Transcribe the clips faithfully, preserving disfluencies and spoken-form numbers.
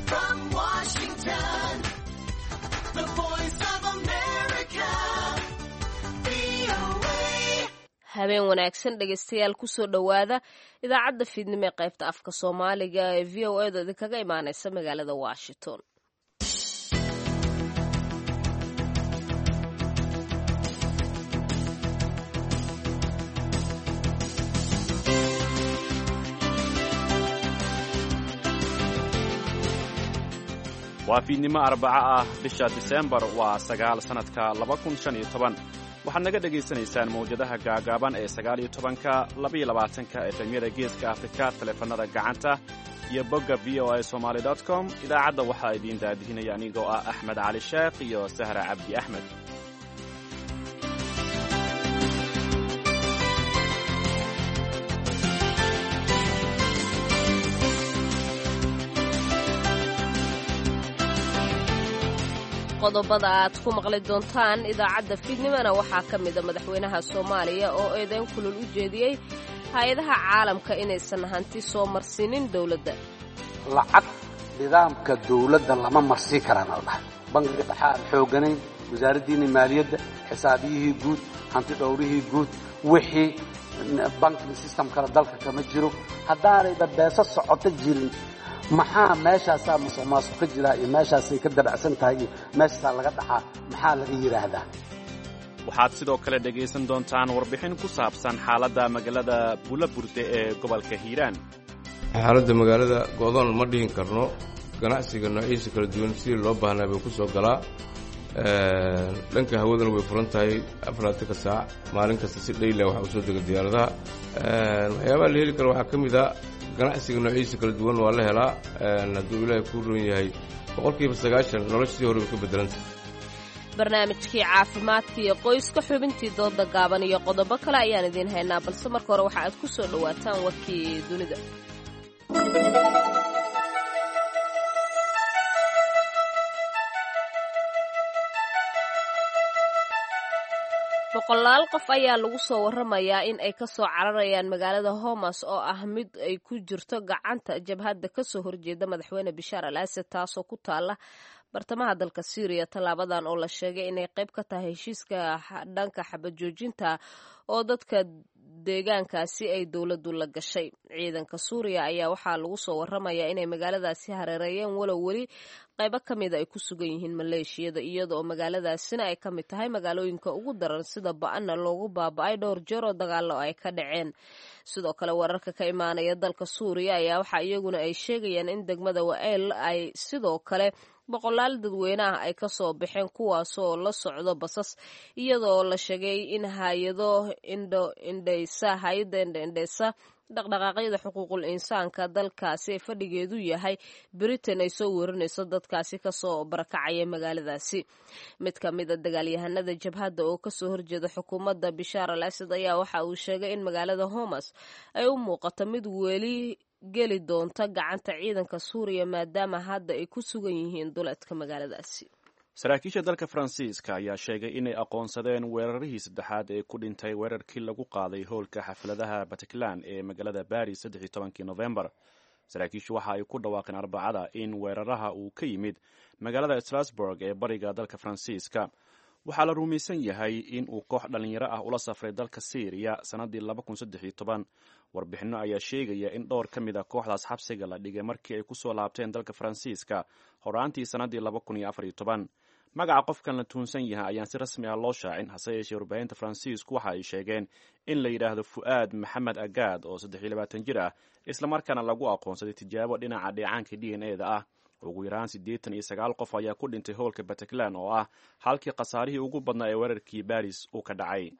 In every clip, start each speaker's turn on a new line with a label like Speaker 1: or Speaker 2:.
Speaker 1: From Washington, the voice of America, V O A.
Speaker 2: Habeen wanaagsan, dhegeystayaal. Kusoo dhowaada idaacadda fiidnimo ee qaybta afka Soomaaliga ee V O A da idinkaga imaaneysa magaalada Washington.
Speaker 3: Waa fiidnimo Arbaco ah, bisha Diseembar waa sagaal, sannadka laba kun shan iyo toban. Waxaad naga dhegaysanaysaan mawjadaha gaagaaban ee sagaal iyo tobanka, labaiyo labaatanka, efemyada Geeska Afrika, taleefannada gacanta iyo bogga V O A Somaly com. Idaacadda waxaa idiin daadihinaya anigoo ah Axmed Cali Sheekh iyo Sahra Cabdi Axmed.
Speaker 2: Qodobada aad ku maqli doontaan idaacadda fiidnimona waxaa ka mida madaxweynaha Soomaaliya oo eedeyn kulul u jeediyey hay-adaha caalamka inaysan hanti soo marsiinin dowladda.
Speaker 4: Lacag nidaamka dawladda lama marsii karaan al dhahay. Bangiga dhexe aan xooganayn, wasaaraddiinni maaliyadda, xisaabiyihii guud, hanti dhowrihii guud, wixii banking system kale dalka kama jiro. Haddaanayba beeso socoto jirin, maxaa meeshaasaa musuq maasuq ka jiraa iyo meeshaasay ka dabacsan tahay iyo meeshaasaa laga dhacaa, maxaa laga yidhaahdaa?
Speaker 3: Waxaad sidoo kale dhegaysan doontaan warbixin ku saabsan xaaladda magaalada Buulaburde ee gobolka Hiiraan.
Speaker 5: Xaaladda magaalada go'doon ma dhihin karno. Ganacsiga noociisa kala duwan sidii loo baahnaa bay ku soo galaa. Dhanka hawadana way furan tahay afarlaatanka saac, maalin kasta si dhayla waxaa usoo dega diyaaradaha. Waxyaabaha la heli karo waxaa ka mid a ganacsiga noociisa kala duwan waa la helaa. Hadduu Ilaahay kuu roon yahay, boqolkiiba sagaashan noloshii hore way ka beddelanta.
Speaker 2: Barnaamijkii caafimaadka iyo qoyska, xubintii dooda gaaban iyo qodobo kale ayaan idiin haynaa, balse marka hore waxa aad ku soo dhowaataan warkii dunida. Boqolaal qof ayaa lagu soo waramayaa in ay kasoo cararayaan magaalada Homas oo ah mid ay ku jirto gacanta jabhadda kasoo horjeeda madaxweyne Bishaar al Asad, taasoo ku taala bartamaha dalka Syriya. Tallaabadan oo la sheegay inay qayb ka tahay heshiiska dhanka xabad joojinta oo dadka deegaankaasi ay dowladdu la gashay ciidanka Suuriya ayaa waxaa lagu soo waramayaa inay magaaladaasi hareereeyeen, walow weli qaybo ka mida ay ku sugan yihiin maleeshiyada, iyada oo magaaladaasina ay ka mid tahay magaalooyinka ugu daran sida ba-anna loogu baaba-ay dhowr jeer oo dagaallo ay ka dhaceen. Sidoo kale, wararka ka imaanaya dalka Suuriya ayaa waxaa iyaguna ay sheegayaan in degmada Wa-eel ay sidoo kale boqolaal dadweyne ah ay kasoo baxeen, kuwaasoo la socdo basas, iyadoo la sheegay in hayado indho indheysa hay-adda indho indheysa dhaqdhaqaaqyada xuquuqul insaanka dalkaasi ee fadhigeedu yahay Britain ay soo werinayso dadkaasi kasoo barakacaya magaaladaasi. Mid ka mid a dagaalyahanada jabhadda oo kasoo horjeeda xukuumadda Bishaar al Asad ayaa waxa uu sheegay in magaalada Homas ay u muuqato mid weli geli doonta gacanta ciidanka Suuriya, maadaama hadda ay ku sugan yihiin duleedka magaaladaasi.
Speaker 3: Saraakiisha dalka Faransiiska ayaa sheegay inay aqoonsadeen weerarihii saddexaad ee ku dhintay weerarkii lagu qaaday howlka xafladaha Bataclan ee magaalada Baris saddex iyo tobankii Novembar. Saraakiishu waxa ay ku dhawaaqeen Arbacada in weeraraha uu ka yimid magaalada Strasburg ee bariga dalka Faransiiska. Waxaa la rumaysan yahay in uu koox dhallinyaro ah ula safray dalka Syriya sannaddii laba kun saddex iyo toban. Warbixinno ayaa sheegaya in dhowr ka mid a kooxdaas xabsiga la dhigay markii ay kusoo laabteen dalka Faransiiska horaantii sannaddii laba kun iyo afar iyo toban. Magaca qofkan la tuunsan yahay ayaan si rasmi ah loo shaacin, hase yeeshee warbaahinta Faransiisku waxa ay sheegeen in la yidhaahdo Fu'aad Maxamed Agaad oo saddex iyo labaatan jir ah, islamarkaana lagu aqoonsaday tijaabo dhinaca dheecaanka D N A da ah. Ugu yaraan siddeetan iyo sagaal qof ayaa ku dhintay howlka Bataclan oo ah halkii khasaarihii ugu badnaa ee weerarkii Baris uu ka dhacay.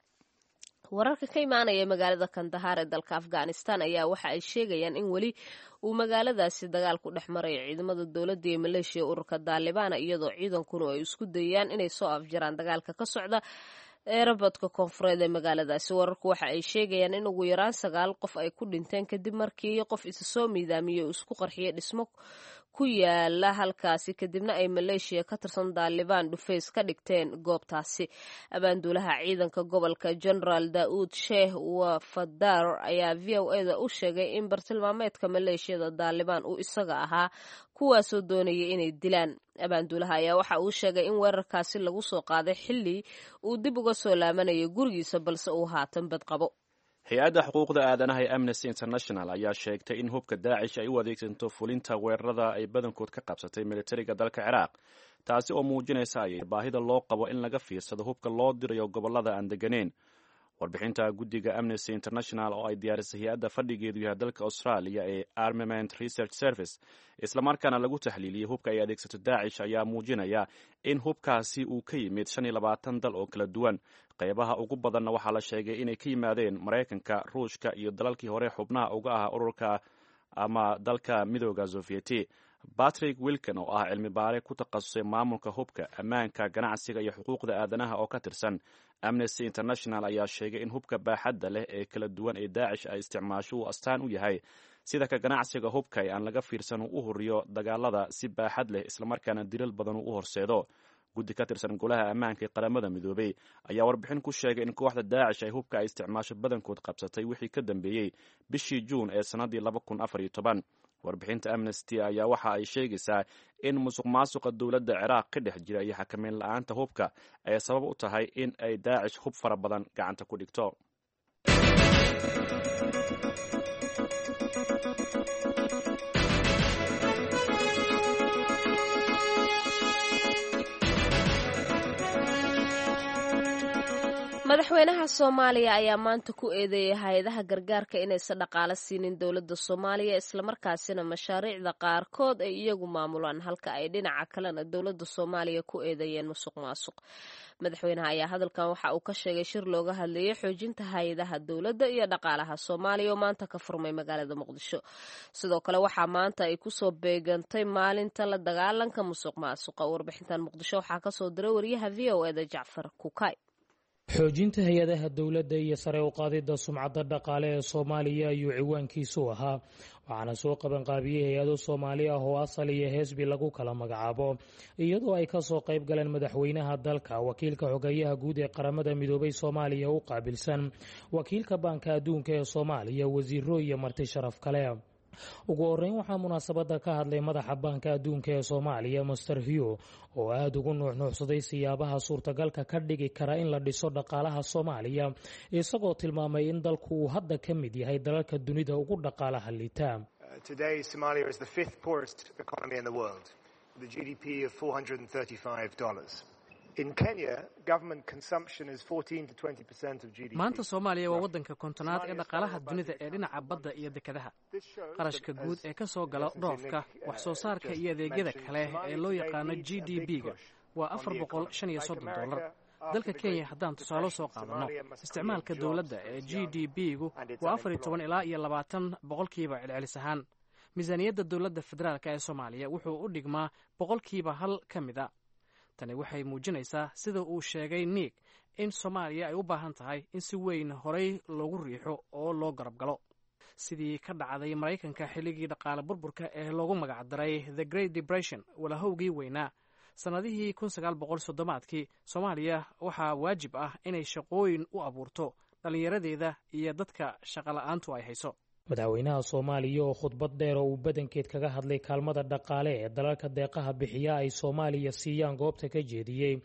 Speaker 2: Wararka ka imaanaya magaalada Kandahar ee dalka Afghanistan ayaa waxa ay sheegayaan in weli uu magaaladaasi dagaal ku dhex marayo ciidamada dowladda iyo maleeshiya ururka Daalibaana, iyadoo ciidankuna ay isku dayayaan inay soo afjaraan dagaalka ka socda eerabadka koonfureed ee magaaladaasi. Wararku waxa ay sheegayaan in ugu yaraan sagaal qof ay ku dhinteen kadib markii qof isa soo miidaamiyey uu isku qarxiyey dhismo ku yaala halkaasi, kadibna ay maleeshiya ka tirsan Daalibaan dhufays ka dhigteen goobtaasi. Abaanduulaha ciidanka gobolka, Generaal Daa'uud Sheeh Wafadar, ayaa V O A da u sheegay in bartilmaameedka maleeshiyada Daalibaan uu isaga ahaa, kuwaasoo doonaya inay dilaan. Abaanduulaha ayaa waxa uu sheegay in weerarkaasi lagu soo qaaday xilli uu dib uga soo laamanayay gurigiisa, balse uu haatan badqabo.
Speaker 3: Hay-adda xuquuqda aadanaha ee Amnesty International ayaa sheegtay in hubka Daacish ay u adeegsanto fulinta weerarada ay badankood ka qabsatay militariga dalka Ciraaq, taasi oo muujinaysa ay baahida loo qabo in laga fiirsado hubka loo dirayo gobollada aan deganeyn. Warbixinta guddiga Amnesty International oo ay diyaarisay hay-adda fadhigeedu yahay dalka Australia ee Armament Research Service, islamarkaana lagu taxliiliyey hubka ay adeegsato Daacish, ayaa muujinaya in hubkaasi uu ka yimid shan iyo labaatan dal oo kala duwan. Qaybaha ugu badanna waxaa la sheegay inay ka yimaadeen Maraykanka, Ruushka iyo dalalkii hore xubnaha uga ah ururka ama dalka Midooda Sofiyeeti. Patrick Wilkin oo ah cilmi baare ku takhasusay maamulka hubka, ammaanka, ganacsiga iyo xuquuqda aadanaha oo ka tirsan Amnesty International ayaa sheegay in hubka baaxadda leh ee kala duwan ee Daacish ay isticmaasho uu astaan u yahay sida ka ganacsiga hubka ee aan laga fiirsan uu u huriyo dagaalada si baaxad leh, islamarkaana dilal badan uu u horseedo. Guddi ka tirsan Golaha Ammaanka ee Qaramada Midoobey ayaa warbixin ku sheegay in kooxda Daacish ay hubka ay isticmaasho badankood qabsatay wixii ka dambeeyey bishii Juun ee sannaddii laba kun afar iyo toban. Warbixinta Amnesty ayaa waxa ay sheegaysaa in musuq maasuqa dowladda Ciraaq ka dhex jira iyo xakameyn la-aanta hubka ay sabab u tahay in ay Daacish hub fara badan gacanta ku dhigto.
Speaker 2: Madaxweynaha Soomaaliya ayaa maanta ku eedeeyay hay-adaha gargaarka inaysan dhaqaalo siinin dowladda Soomaaliya, islamarkaasina mashaariicda qaarkood ay iyagu maamulaan, halka ay dhinaca kalena dowladda Soomaaliya ku eedeeyeen musuq maasuq. Madaxweynaha ayaa hadalkan waxa uu ka sheegay shir looga hadlayay xoojinta hay-adaha dowladda iyo dhaqaalaha Soomaaliya oo maanta ka furmay magaalada Muqdisho. Sidoo kale waxaa maanta ay kusoo beegantay maalinta la dagaalanka musuq maasuqa. Warbixintan Muqdisho waxaa kasoo diray wariyaha V O eda Jacfar Kukay.
Speaker 6: Xoojinta hay-adaha dowladda iyo sare u qaadidda sumcadda dhaqaale ee Soomaaliya ayuu ciwaankiisu ahaa, waxaana soo qabanqaabiyey hay-ado Soomaali ah oo asal iyo heesbi lagu kala magacaabo, iyadoo ay kasoo qayb galeen madaxweynaha dalka, wakiilka xogeyaha guud ee Qaramada Midoobay Soomaaliya u qaabilsan, wakiilka Baanka Adduunka ee Soomaaliya, wasiiro iyo marti sharaf kale. Ugu horeyn waxaa munaasabadda ka hadlay madaxa Baanka Adduunka ee Soomaaliya, Master Hugh, oo aada ugu nuuxnuuxsaday siyaabaha suurtagalka ka dhigi kara in la dhiso dhaqaalaha Soomaaliya, isagoo tilmaamay in dalku uu hadda ka mid yahay dalalka dunida ugu dhaqaalaha liita.
Speaker 7: Today, Somalia is the fifth poorest economy in the world, with a G D P of four hundred thirty-five dollars. In Kenya, government consumption is fourteen to twenty percent of G D P.
Speaker 8: Maanta Soomaaliya waa waddanka kontonaad ee dhaqaalaha dunida ee dhinaca badda iyo dekedaha. Qarashka guud ee ka soo gala dhoofka, wax soo saarka iyo adeegyada kale ee loo yaqaano G D P-ga waa afar boqol shan iyo soddon dollar. Dalka Kenya haddaan tusaale soo qaadanno, isticmaalka dowladda ee G D P-gu waa afar iyo toban ilaa iyo labaatan boqolkiiba celcelis ahaan. Miisaaniyadda dowladda federaalka ee Soomaaliya wuxuu u dhigmaa boqolkiiba hal ka mid a. Tani waxay muujinaysaa, sida uu sheegay Nick, in Soomaaliya ay u baahan tahay in si weyn horay loogu riixo oo loo garab galo, sidii ka dhacday Maraykanka xilligii dhaqaale burburka ee loogu magacdaray The Great Depression, walahowgii weynaa, sannadihii kun sagaal boqol soddomaadkii. Soomaaliya waxaa waajib ah inay shaqooyin u abuurto dhallinyaradeeda iyo dadka shaqola'aantu ay hayso.
Speaker 6: Madaxweynaha Soomaaliya oo khudbad dheer oo uu badankeed kaga hadlay kaalmada dhaqaale ee dalalka deeqaha bixiya ay Soomaaliya siiyaan goobta ka jeediyey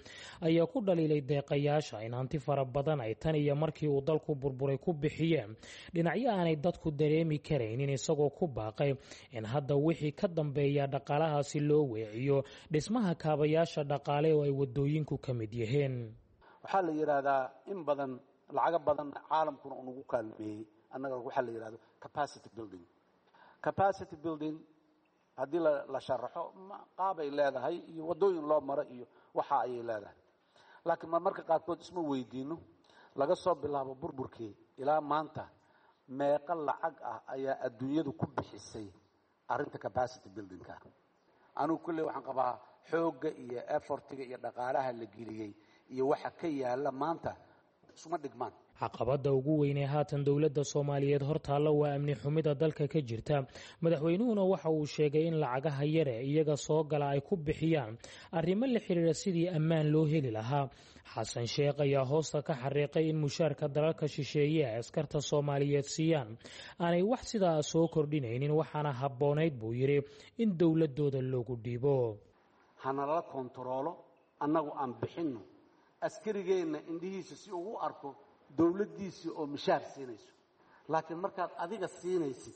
Speaker 6: ayaa ku dhaliilay deeqayaasha in hanti fara badan ay tan iyo markii uu dalku burburay ku bixiyeen dhinacyo aanay dadku dareemi karaynin, isagoo ku baaqay in hadda wixii ka dambeeya dhaqaalahaasi loo weeciyo dhismaha kaabayaasha dhaqaale oo ay wadooyinku ka mid yihiin.
Speaker 4: Waxaa la yidhaahdaa in badan lacago badan caalamkuna uu nagu kaalmeeyey annaga, waxaa la yidhahdo capacity building. Capacity building haddii la sharaxo, qaabay leedahay iyo waddooyin loo maro iyo waxa ayay leedahay, laakiin marmarka qaarkood isma weydiino, laga soo bilaabo burburkii ilaa maanta meeqa lacag ah ayaa adduunyadu ku bixisay arrinta capacity buildingka? Anigu kulley waxaan qabaa xoogga iyo effortiga iyo dhaqaalaha la geliyey iyo waxa ka yaala maanta Isuma dhigmaan.
Speaker 6: Caqabadda ugu weynee haatan dowladda Soomaaliyeed hortaalla waa amni xumida dalka ka jirta. Madaxweynuhuna waxa uu sheegay in lacagaha yare iyaga soo gala ay ku bixiyaan arrimo la xiriira sidii ammaan loo heli lahaa. Xasan Sheekh ayaa hoosta ka xariiqay in mushaarka dalalka shisheeye ay askarta Soomaaliyeed siiyaan aanay wax sidaa soo kordhinaynin, waxaana habboonayd buu yidhi in dowladooda loogu dhiibo.
Speaker 4: Hanalala kontaroolo, annagu aan bixinno, askarigeenna indhihiisa si ugu arko dowladdiisii oo mishaar siinayso. Laakiin markaad adiga siinaysid,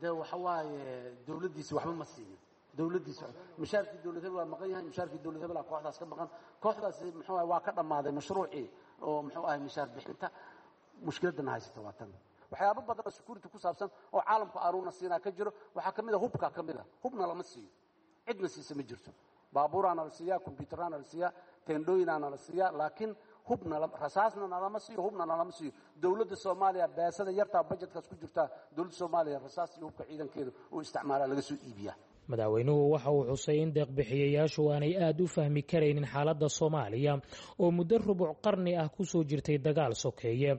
Speaker 4: dee waxa waaye dowladdiisi waxba ma siinin. Dowladdiisi mishaarkii dowlad hebel waa maqan yahay, mishaarkii dowlad hebel kooxdaas ka maqan, kooxdaasi muxuu ahay waa ka dhammaaday mashruucii oo muxuu ahay mishaar bixinta. Mushkiladana haysata waa tan. Waxyaabo badan oo security ku saabsan oo caalamku aanuuna siinaa ka jiro. Waxaa ka mid a hubka, ka mid a hubna lama siiyo, cidna siisa ma jirto. Baabuuraana la siiyaa, kombyutaraana la siiyaa, teendhooyinaana la siiyaa, laakiin hubna rasaasna nalama siiyo, hubna nalama siiyo. Dowladda Soomaaliya beesada yartaa bajetkaas ku jirtaa, dowladda Soomaaliya rasaas iyo hubka ciidankeeda uu isticmaalaa laga soo iibiyaa.
Speaker 6: Madaxweynuhu waxa uu xusay in deeqbixiyayaashu aanay aada u fahmi karaynin xaaladda Soomaaliya oo muddo rubuc qarni ah kusoo jirtay dagaal sokeeye,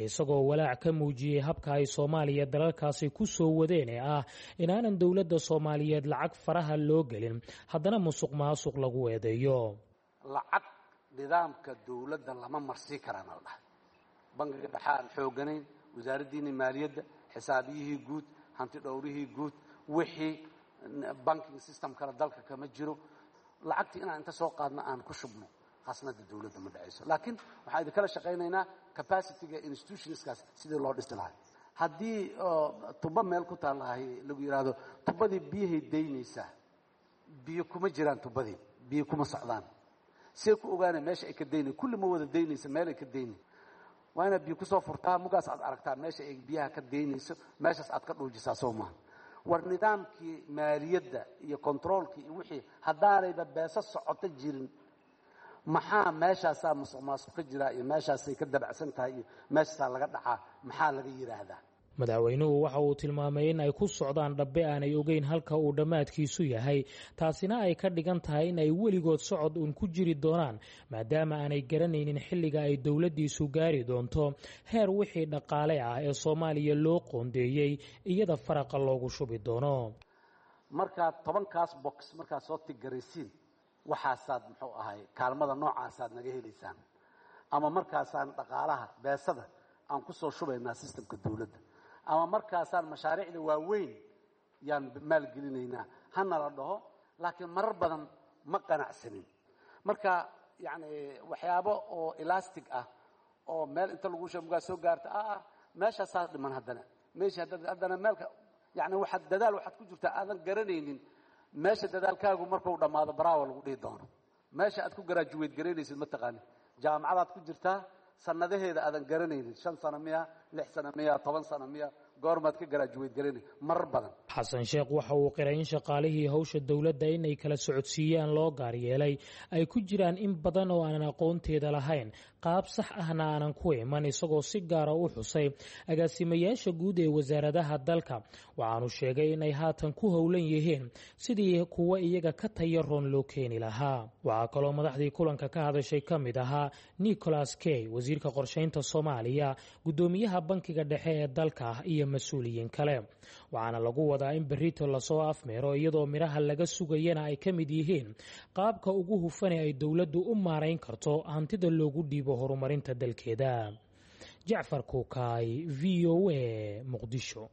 Speaker 6: isagoo walaac ka muujiyey habka ay Soomaaliya dalalkaasi ku soo wadeen ee ah inaanan dowladda Soomaaliyeed lacag faraha loo gelin, haddana musuq maasuq lagu eedeeyo.
Speaker 4: Lacag nidaamka dowladda lama marsii karaan la dhahay. Bangiga dhexe aan xooganayn, wasaaraddiinii maaliyadda, xisaabiyihii guud, hanti dhowrihii guud, wixii banking system kale dalka kama jiro. Lacagtii inaan inta soo qaadno aan ku shubno khasnada dowladda ma dhacayso, laakiin waxaan idinkala shaqaynaynaa capacityga institutionskaas sidii loo dhisi lahay. Haddii tubo meel ku taallahay lagu yidhaahdo tubadii biyahay daynaysaa, biyo kuma jiraan tubadii, biyo kuma socdaan, see ku ogaanay meesha ay ka daynay? Kulli ma wada daynaysa, meel ay ka daynay waa inaad biyo kusoo furtaa, mugaas aad aragtaa meesha ay biyaha ka daynayso, meeshaas aad ka dhuujisaa. Soo maaha? War nidaamkii maaliyadda iyo kontaroolkii iyo wixii haddaanayba beeso socoto jirin, maxaa meeshaasaa musuq maasuq ka jiraa iyo meeshaasay ka dabacsan tahay iyo meeshaasaa laga dhacaa maxaa laga yidhaahdaa?
Speaker 6: Madaxweynuhu waxa uu tilmaamay in ay ku socdaan dhabbe aanay ogeyn halka uu dhammaadkiisu yahay, taasina ay ka dhigan tahay in ay weligood socod uun ku jiri doonaan, maadaama aanay garanaynin xilliga ay dowladdiisu gaari doonto heer wixii dhaqaale ah ee Soomaaliya loo qoondeeyey iyada faraqa loogu shubi doono.
Speaker 4: Markaad tobankaas box markaad soo tigaraysiin, waxaasaad muxuu ahay kaalmada noocaasaad naga helaysaan, ama markaasaan dhaqaalaha beesada aan ku soo shubaynaa systemka dowladda, ama markaasaan mashaariicda waaweyn yaan maalgelinaynaa, hana la dhaho. Laakiin marar badan ma qanacsanin. Marka yacni waxyaabo oo elastic ah oo meel inta lagu sheego mugaa soo gaarta ah meeshaasaa dhiman, haddana meesha haddana meelka yacni waxaad dadaal waxaad ku jirtaa aadan garanaynin meesha dadaalkaagu markuu dhammaado baraawa lagu dhihi doono. Meesha aad ku garaajuweyd garaynaysid ma taqaanin, jaamacadaad ku jirtaa sanadaheeda aadan garanaynin, shan sano miya, lix sano miya, toban sano miya, goormaad ka garaajuweyd garanay marar badan.
Speaker 6: Xasan Sheekh waxa uu qiray in shaqaalihii howsha dowladda inay kala socodsiiyaan loo gaar yeelay ay ku jiraan in badan oo aanan aqoonteeda lahayn, qaab sax ahna aanan ku iman, isagoo si gaara u xusay agaasimayaasha guud ee wasaaradaha dalka. Waxaanu sheegay inay haatan ku howlan yihiin sidii kuwa iyaga ka tayaroon loo keeni lahaa. Waxaa kaloo madaxdii kulanka ka hadashay ka mid ahaa Nicholas Kay, wasiirka qorshaynta Soomaaliya, guddoomiyaha bankiga dhexe ee dalka iyo mas-uuliyiin kale. Waxaana lagu wadaa in berrito lasoo afmeero, iyadoo midhaha laga sugayana ay ka mid yihiin qaabka ugu hufane ay dowladdu u maarayn karto hantida loogu dhiibo horumarinta dalkeeda. Jacfar Kuukaay, V O A, Muqdisho.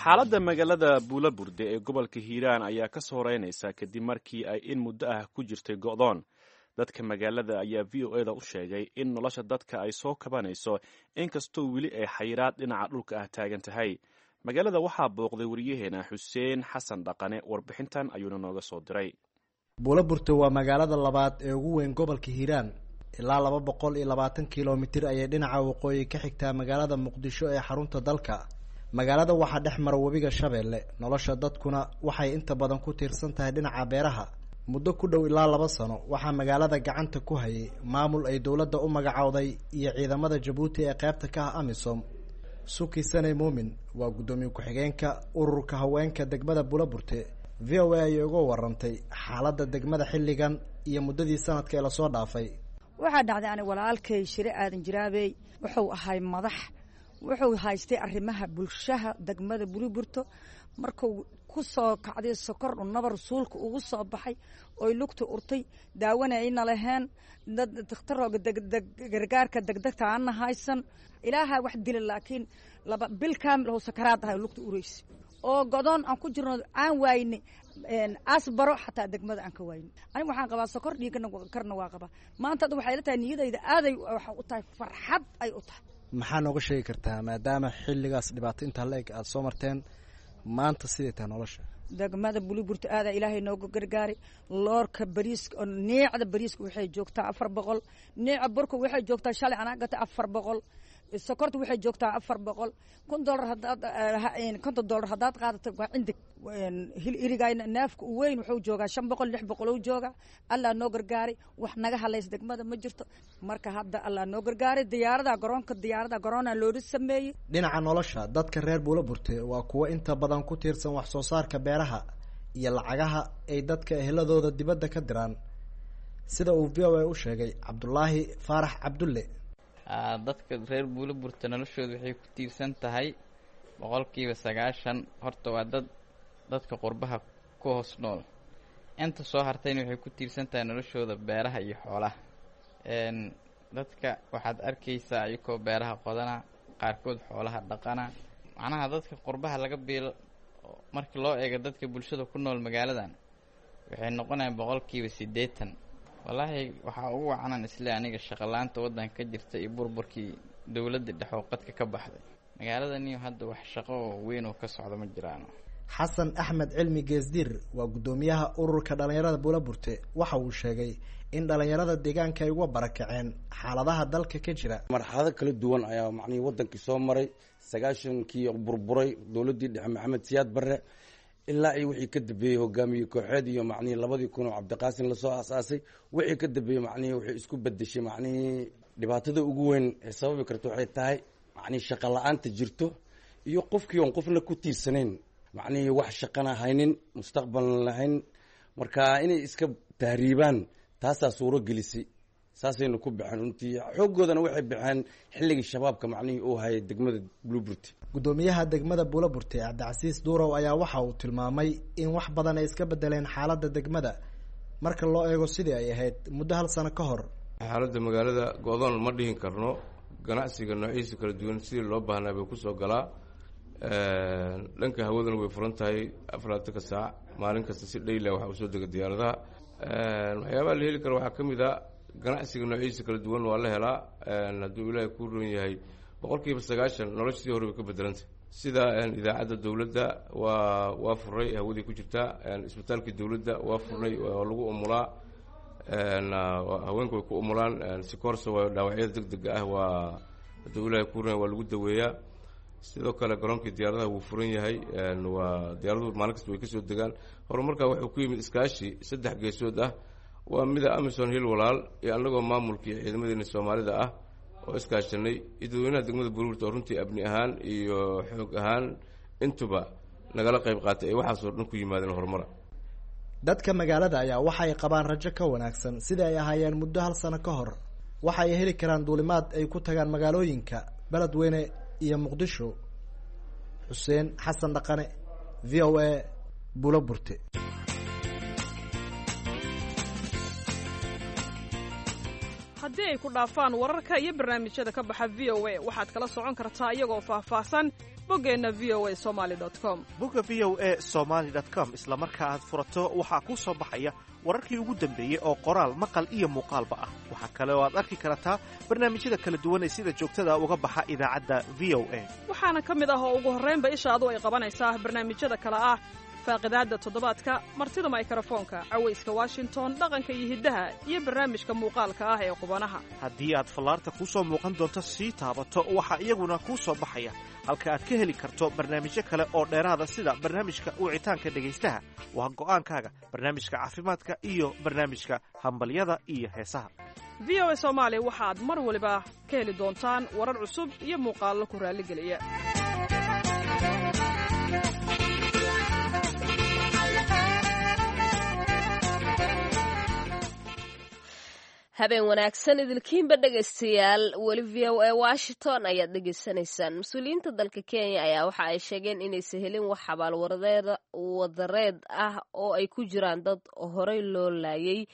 Speaker 3: Xaaladda magaalada Buulaburde ee gobolka Hiiraan ayaa ka soo horeynaysa kadib markii ay in muddo ah ku jirtay go'doon. Dadka magaalada ayaa V O eda u sheegay in nolosha dadka ay soo kabanayso, inkastoo weli ay xayiraad dhinaca dhulka ah taagan tahay. Magaalada waxaa booqday wariyaheena Xuseen Xasan Dhaqane, warbixintan ayuuna nooga soo diray.
Speaker 9: Buulaburte waa magaalada labaad ee ugu weyn gobolka Hiiraan. Ilaa laba boqol iyo labaatan kilomitir ayay dhinaca waqooyi ka xigtaa magaalada Muqdisho ee xarunta dalka. Magaalada waxaa dhex mara webiga Shabeelle, nolosha dadkuna waxay inta badan ku tiirsan tahay dhinaca beeraha. Muddo ku dhow ilaa laba sano waxaa magaalada gacanta ku hayay maamul ay dowladda u magacowday iyo ciidamada Jabuuti ee qaybta ka ah AMISOM. Suki Saney Muumin waa guddoomiye ku-xigeenka ururka haweenka degmada Buulaburte. V O A ayay uga warantay xaaladda degmada xilligan iyo muddadii sanadka ee lasoo dhaafay.
Speaker 10: Waxaa dhacday ani walaalkay Shire Aadan Jiraabey wuxuu ahay madax, wuxuu haystay arrimaha bulshaha degmada Buulaburto. Markuu ku soo kacday sokor nabar suulka ugu soo baxay oy lugta urtay, daawana ayna lahayn, dad dhakhtarooga degdeg gargaarka degdegta aana haysan. Ilaaha wax dila, laakiin laba bil kaamil oo sakaraad ahay lugta uraysa oo godoon aan ku jirno, aan waayne asbaro xataa degmada aan ka waayne. Aniga waxaan qabaa sokor, dhiigana karna waa qabaa. Maanta hadda waxay la tahay niyadayda aaday waxa u tahay farxad ay u tahay.
Speaker 9: Maxaa nooga sheegi kartaa maadaama xilligaas dhibaato intaa la eg aada soo marteen, maanta siday tahay nolosha
Speaker 10: degmada Buliburta? Aadaa Ilaahay nooga gargaaray. Loorka bariiska oo neecda bariiska waxay joogtaa afar boqol, neeca burka waxay joogtaa shalay anaa gata afar boqol, sokorta waxay joogtaa afar boqol. Kun dolar hadaad, konton dollar haddaad qaadato waa cindig hil irigayna. Neefka u weyn wuxuu joogaa shan boqol, lix boqol uu joogaa. Allah noo gargaaray, wax naga hadlaysa degmada ma jirto. Marka hadda Allah noo gargaaray, diyaarada garoonka, diyaarada garoona loola sameeyey.
Speaker 9: Dhinaca nolosha dadka reer Buulaburte waa kuwo inta badan ku tiirsan wax soo saarka beeraha iyo lacagaha ay dadka eheladooda dibadda ka diraan, sida uu V O A u sheegay Cabdulaahi Faarax Cabdulle.
Speaker 11: Dadka reer Buulaburta noloshooda waxay ku tiirsan tahay boqolkiiba sagaashan horta waa dad dadka qurbaha ku hoos nool. Inta soo hartayna waxay ku tiirsan tahay noloshooda beeraha iyo xoolaha. Dadka waxaad arkaysaa ayakoo beeraha qodana, qaarkood xoolaha dhaqana. Macnaha dadka qurbaha laga biilo markii loo eego dadka bulshada ku nool magaaladan waxay noqonayaan boqolkiiba siddeetan. Wallaahi waxaa ugu wacanan isle aniga shaqolaanta waddanka ka jirta iyo burburkii dowladda dhexoo qadka ka baxday magaaladaniyo hadda wax shaqo oo weyn oo ka socda ma jiraan.
Speaker 9: Xasan Axmed Cilmi Geesdiir waa guddoomiyaha ururka dhalinyarada Buulaburte. Waxa uu sheegay in dhalinyarada deegaanka ay uga barakaceen xaaladaha dalka ka jira.
Speaker 12: Marxalado kala duwan ayaa macnihii waddankii soo maray. Sagaashankii burburay dowladdii dhexe Maxamed Siyaad Barre, ilaa iyo wixii ka dambeeyey hogaamiye kooxeed iyo macnihii labadii kun oo Cabdiqaasin lasoo aasaasay, wixii ka dambeeyey macnihii waxay isku bedeshay. Macnihii dhibaatada ugu weyn ee sababi karta waxay tahay macnihii shaqa la-aanta jirto iyo qofkii oon qofna ku tiirsanayn, macnihii wax shaqana haynin, mustaqbalna lahayn, marka inay iska tahriibaan taasaa suuro gelisay, saasayna ku baxeen. Runtii xooggoodana waxay baxeen xilligii shabaabka macnihii uu hayay degmada Buulaburte.
Speaker 9: Guddoomiyaha degmada Buulaburte Cabdicasiis Duurow ayaa waxa uu tilmaamay in wax badan ay iska bedeleen xaaladda degmada marka loo eego sidii ay ahayd muddo hal sano ka hor.
Speaker 5: Xaaladda magaalada go-doon ma dhihin karno. Ganacsiga noociisa kala duwan sidii loo baahnaa bay kusoo galaa. Dhanka hawadana way furan tahay afarlaatanka saac maalin kasta, si dhayla waxaa usoo dega diyaaradaha. Waxyaabaha la heli kara waxaa ka mid a ganacsiga noociisa kala duwan waa la helaa. Hadduu Ilaahay kuu roon yahay, boqol kiiba sagaashan nolosha sidii hore way ka bedelantay. Sida idaacadda dowladda waa waa furay, hawadii ku jirtaa. Isbitaalkii dowladda waa furnay, waa lagu umulaa, haweenku way ku umulaan sikoorsa, waa dhaawacyada deg dega ah, waa hadduu Ilaahay kuu roon yahay waa lagu daweeyaa. Sidoo kale garoonkii diyaaradaha wuu furan yahay, waa diyaaraduhu maalin kasta way kasoo degaan. Horumarkaa wuxuu ku yimid iskaashi saddex geesood ah, waa mida AMISOM Hil Walaal iyo annagoo maamulkii ciidamadeena Soomaalida ah oo iskaashanay iyo dadweynaha degmada Buulaburta oo runtii abni ahaan iyo xoog ahaan intuba nagala qayb qaatay ay waxaasoo dhan ku yimaadeen horumara.
Speaker 9: Dadka magaalada ayaa waxay qabaan rajo ka wanaagsan sida ay ahaayeen muddo hal sano ka hor. Waxa ay heli karaan duulimaad ay ku tagaan magaalooyinka Beledweyne iyo Muqdisho. Xuseen Xasan Dhaqane, V O A, Buulaburte.
Speaker 13: Haddii ay ku dhaafaan wararka iyo barnaamijyada ka baxa V O A, waxaad kala socon kartaa iyagoo faahfaahsan boggeenna V O A somali com.
Speaker 14: Bogga V O A somaali com isla marka aad furato waxaa kuu soo baxaya wararkii ugu dambeeyey oo qoraal, maqal iyo muuqaalba ah. Waxaa kale oo aad arki kartaa barnaamijyada kala duwan ee sida joogtada uga baxa idaacadda V O A.
Speaker 13: Waxaana ka mid ah oo ugu horraynba ishaadu ay qabanaysaa barnaamijyada kale ah faaqidaadda toddobaadka, martida maykarafoonka, cawayska Washington, dhaqanka iyo hiddaha, iyo barnaamijka muuqaalka ah ee qubanaha.
Speaker 14: Haddii aad fallaarta kuu soo muuqan doonto sii taabato, waxaa iyaguna kuu soo baxaya Halka aad ka heli karto barnaamijyo kale oo dheeraada sida barnaamijka wicitaanka dhegaystaha, waa go'aankaaga, barnaamijka caafimaadka iyo barnaamijka hambalyada iyo heesaha.
Speaker 13: V O A Soomaali waxaad mar waliba ka heli doontaan warar cusub iyo muuqaallo ku raalligeliya.
Speaker 2: Habeen wanaagsan idilkiinba dhegaystayaal, weli V O A Washington ayaad dhegaysanaysaan. Mas-uuliyiinta dalka Kenya ayaa waxa ay sheegeen inaysan helin wax xabaal wadareed ah oo ay ku jiraan dad horey loo laayay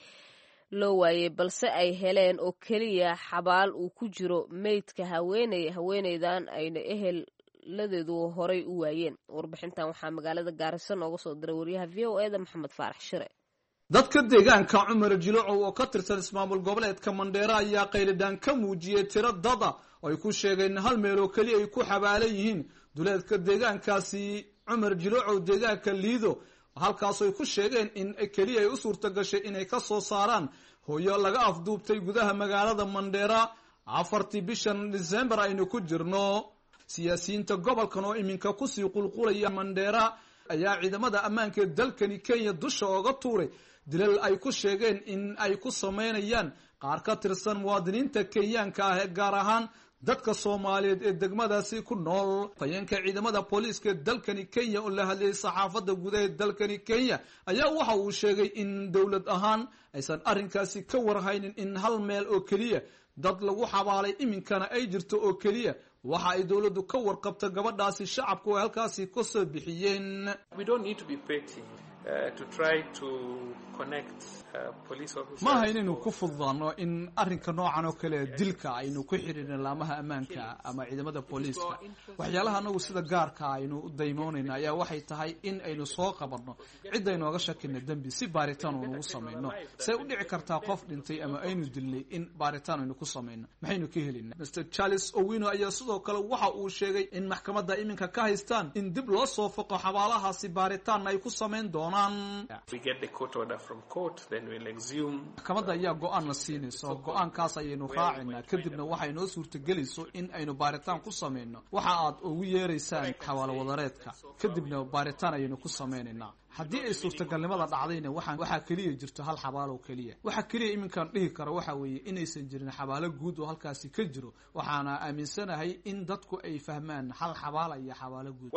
Speaker 2: loo waayey, balse ay heleen oo keliya xabaal uu ku jiro meydka haweeney, haweeneydan ayna eheladeedu horey u waayeen. Warbixintan waxaa magaalada Gaariso nooga soo diray wariyaha V O E da Maxamed Faarax Shire.
Speaker 15: Dadka deegaanka Cumar Jilocow oo ka tirsan ismaamul goboleedka Mandheera ayaa qaylidhaan ka muujiyey tiro dada oo ay ku sheegeen hal meel oo keliya ay ku xabaalan yihiin duleedka deegaankaasi Cumar Jilocow, deegaanka Liido, halkaasoo ay ku sheegeen in keliya ay u suurta gashay inay ka soo saaraan hooyo laga afduubtay gudaha magaalada Mandheera afartii bishan Disembar aynu ku jirno. Siyaasiyiinta gobolkan oo iminka kusii qulqulaya Mandheera ayaa ciidamada ammaanka ee dalkani Kenya dusha ooga tuuray dilal ay ku sheegeen in ay ku sameynayaan qaar ka tirsan muwaadiniinta Kenyaanka ah ee gaar ahaan dadka Soomaaliyeed ee degmadaasi ku nool. Fayeenka ciidamada booliiska ee dalkani Kenya oo la hadlayay saxaafadda gudaha ee dalkani Kenya ayaa waxa uu sheegay in dowlad ahaan aysan arrinkaasi ka warhaynin in hal meel oo keliya dad lagu xabaalay iminkana ay jirto oo keliya waxa ay dowladdu ka warqabta gabadhaasi shacabku ay halkaasi ka soo bixiyeen. Maaha inaynu ku fududaano in arrinka noocan oo kale dilka aynu ku xidhiidhin laamaha ammaanka ama ciidamada booliiska. Waxyaalaha anagu sida gaarka aynu u daymoonayna ayaa waxay tahay in aynu soo qabanno cid aynooga shakina dembi si baaritaan uunugu samayno. Say u dhici kartaa qof dhintay ama aynu dilnay in baaritaan aynu ku samayno? Maxaynu ka helinaa? Mister Charles Owino ayaa sidoo kale waxa uu sheegay in maxkamadda iminka ka haystaan in dib loo soo foqo xabaalahaasi, baaritaanna ay ku samayn doonaan. Maxkamadda ayaa go-aan la siinaysa oo go-aankaas ayaynu raacaynaa, kadibna waxay noo suurtagelayso in aynu baaritaan ku samayno waxa aad ugu yeeraysaan xabaalo wadareedka, kadibna baaritaan ayaynu ku samaynaynaa. Haddii ay suurtagalnimada dhacdayna waxaa waxaa keliya jirto hal xabaalo keliya. Waxa keliya iminkaan dhihi karo waxa weeye inaysan jirin xabaalo guud oo halkaasi ka jiro. Waxaana aaminsanahay in dadku ay fahmaan hal xabaala iyo xabaalo guud.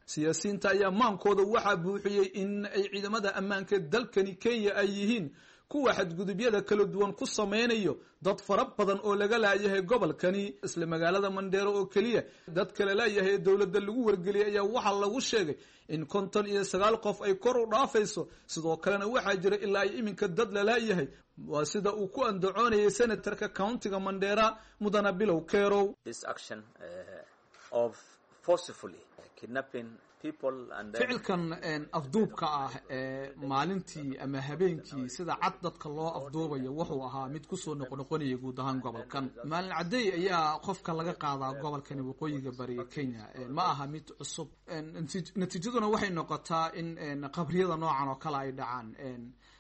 Speaker 15: Siyaasiyiinta ayaa maankooda waxaa buuxiyey in ay ciidamada ammaanka dalkani Kenya ay yihiin kuwa xadgudubyada kala duwan ku samaynayo dad fara badan oo laga laayahay gobolkani. Isla magaalada Mandheero oo keliya dad kala laayahay ee dowladda lagu wargeliyay ayaa waxaa lagu sheegay in konton iyo sagaal qof ay kor u dhaafayso. Sidoo kalena waxaa jira ilaa ay iminka dad la laayahay, waa sida uu ku andacoonayay senatarka countiga Mandheera Mudana Bilow Kerow. Ficilkan afduubka ah ee maalintii ama habeenkii sida cad dadka loo afduubayo wuxuu ahaa mid kusoo noqnoqonaya guud ahaan gobolkan. Maalin cadey ayaa qofka laga qaadaa gobolkani waqooyiga bari ee Kenya, ma aha mid cusub. Natiijaduna waxay noqotaa in qabriyada noocan oo kale ay dhacaan.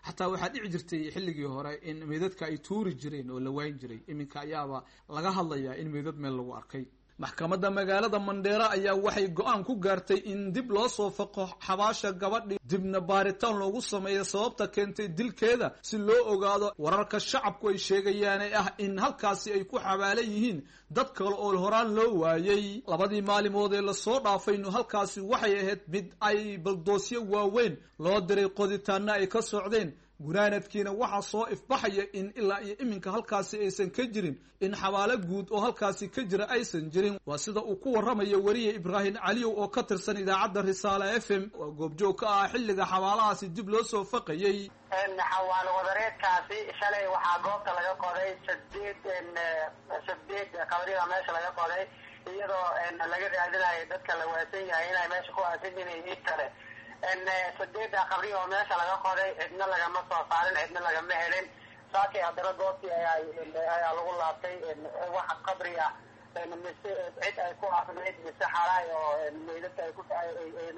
Speaker 15: Xataa waxaa dhici jirtay xilligii hore in meydadka ay tuuri jireen oo la waayn jiray. Iminka ayaaba laga hadlayaa in meydad meel lagu arkay. Maxkamadda magaalada Mandheera ayaa waxay go-aan ku gaartay in dib loo soo faqo xabaasha gabadhii, dibna baaritaan loogu sameeyo sababta keentay dilkeeda si loo ogaado wararka shacabku ay sheegayaan ee ah in halkaasi ay ku xabaalan yihiin dad kale oo horaan loo waayey. Labadii maalimood ee lasoo dhaafaynu halkaasi waxay ahayd mid ay baldoosyo waaweyn loo diray, qoditaanna ay ka socdeen. Gunaanadkiina waxaa soo ifbaxaya in ilaa iyo iminka halkaasi aysan ka jirin in xabaalo guud oo halkaasi ka jira aysan jirin. Waa sida uu ku waramayo weriye Ibraahim Caliyow oo ka tirsan idaacadda Risaale F M oo goobjoog ka ah xilliga xabaalahaasi dib loo soo faqayey.
Speaker 16: Xawaalo wadareedkaasi shalay waxaa goobta laga qoday sideed sideed qabrida meesha laga qoday, iyadoo laga raadinayo dadka la waasan yahay inay meesha ku aasan yihiin id kale. Sideedda qabri oo meesha laga qoday cidna lagama soo saarin, cidna lagama helin. Saakay haddana goobtii ayaa ayaa lagu laabtay, wax qabri ah mise cid ay ku asnayd mise xaraay oo meydadka ay ku ay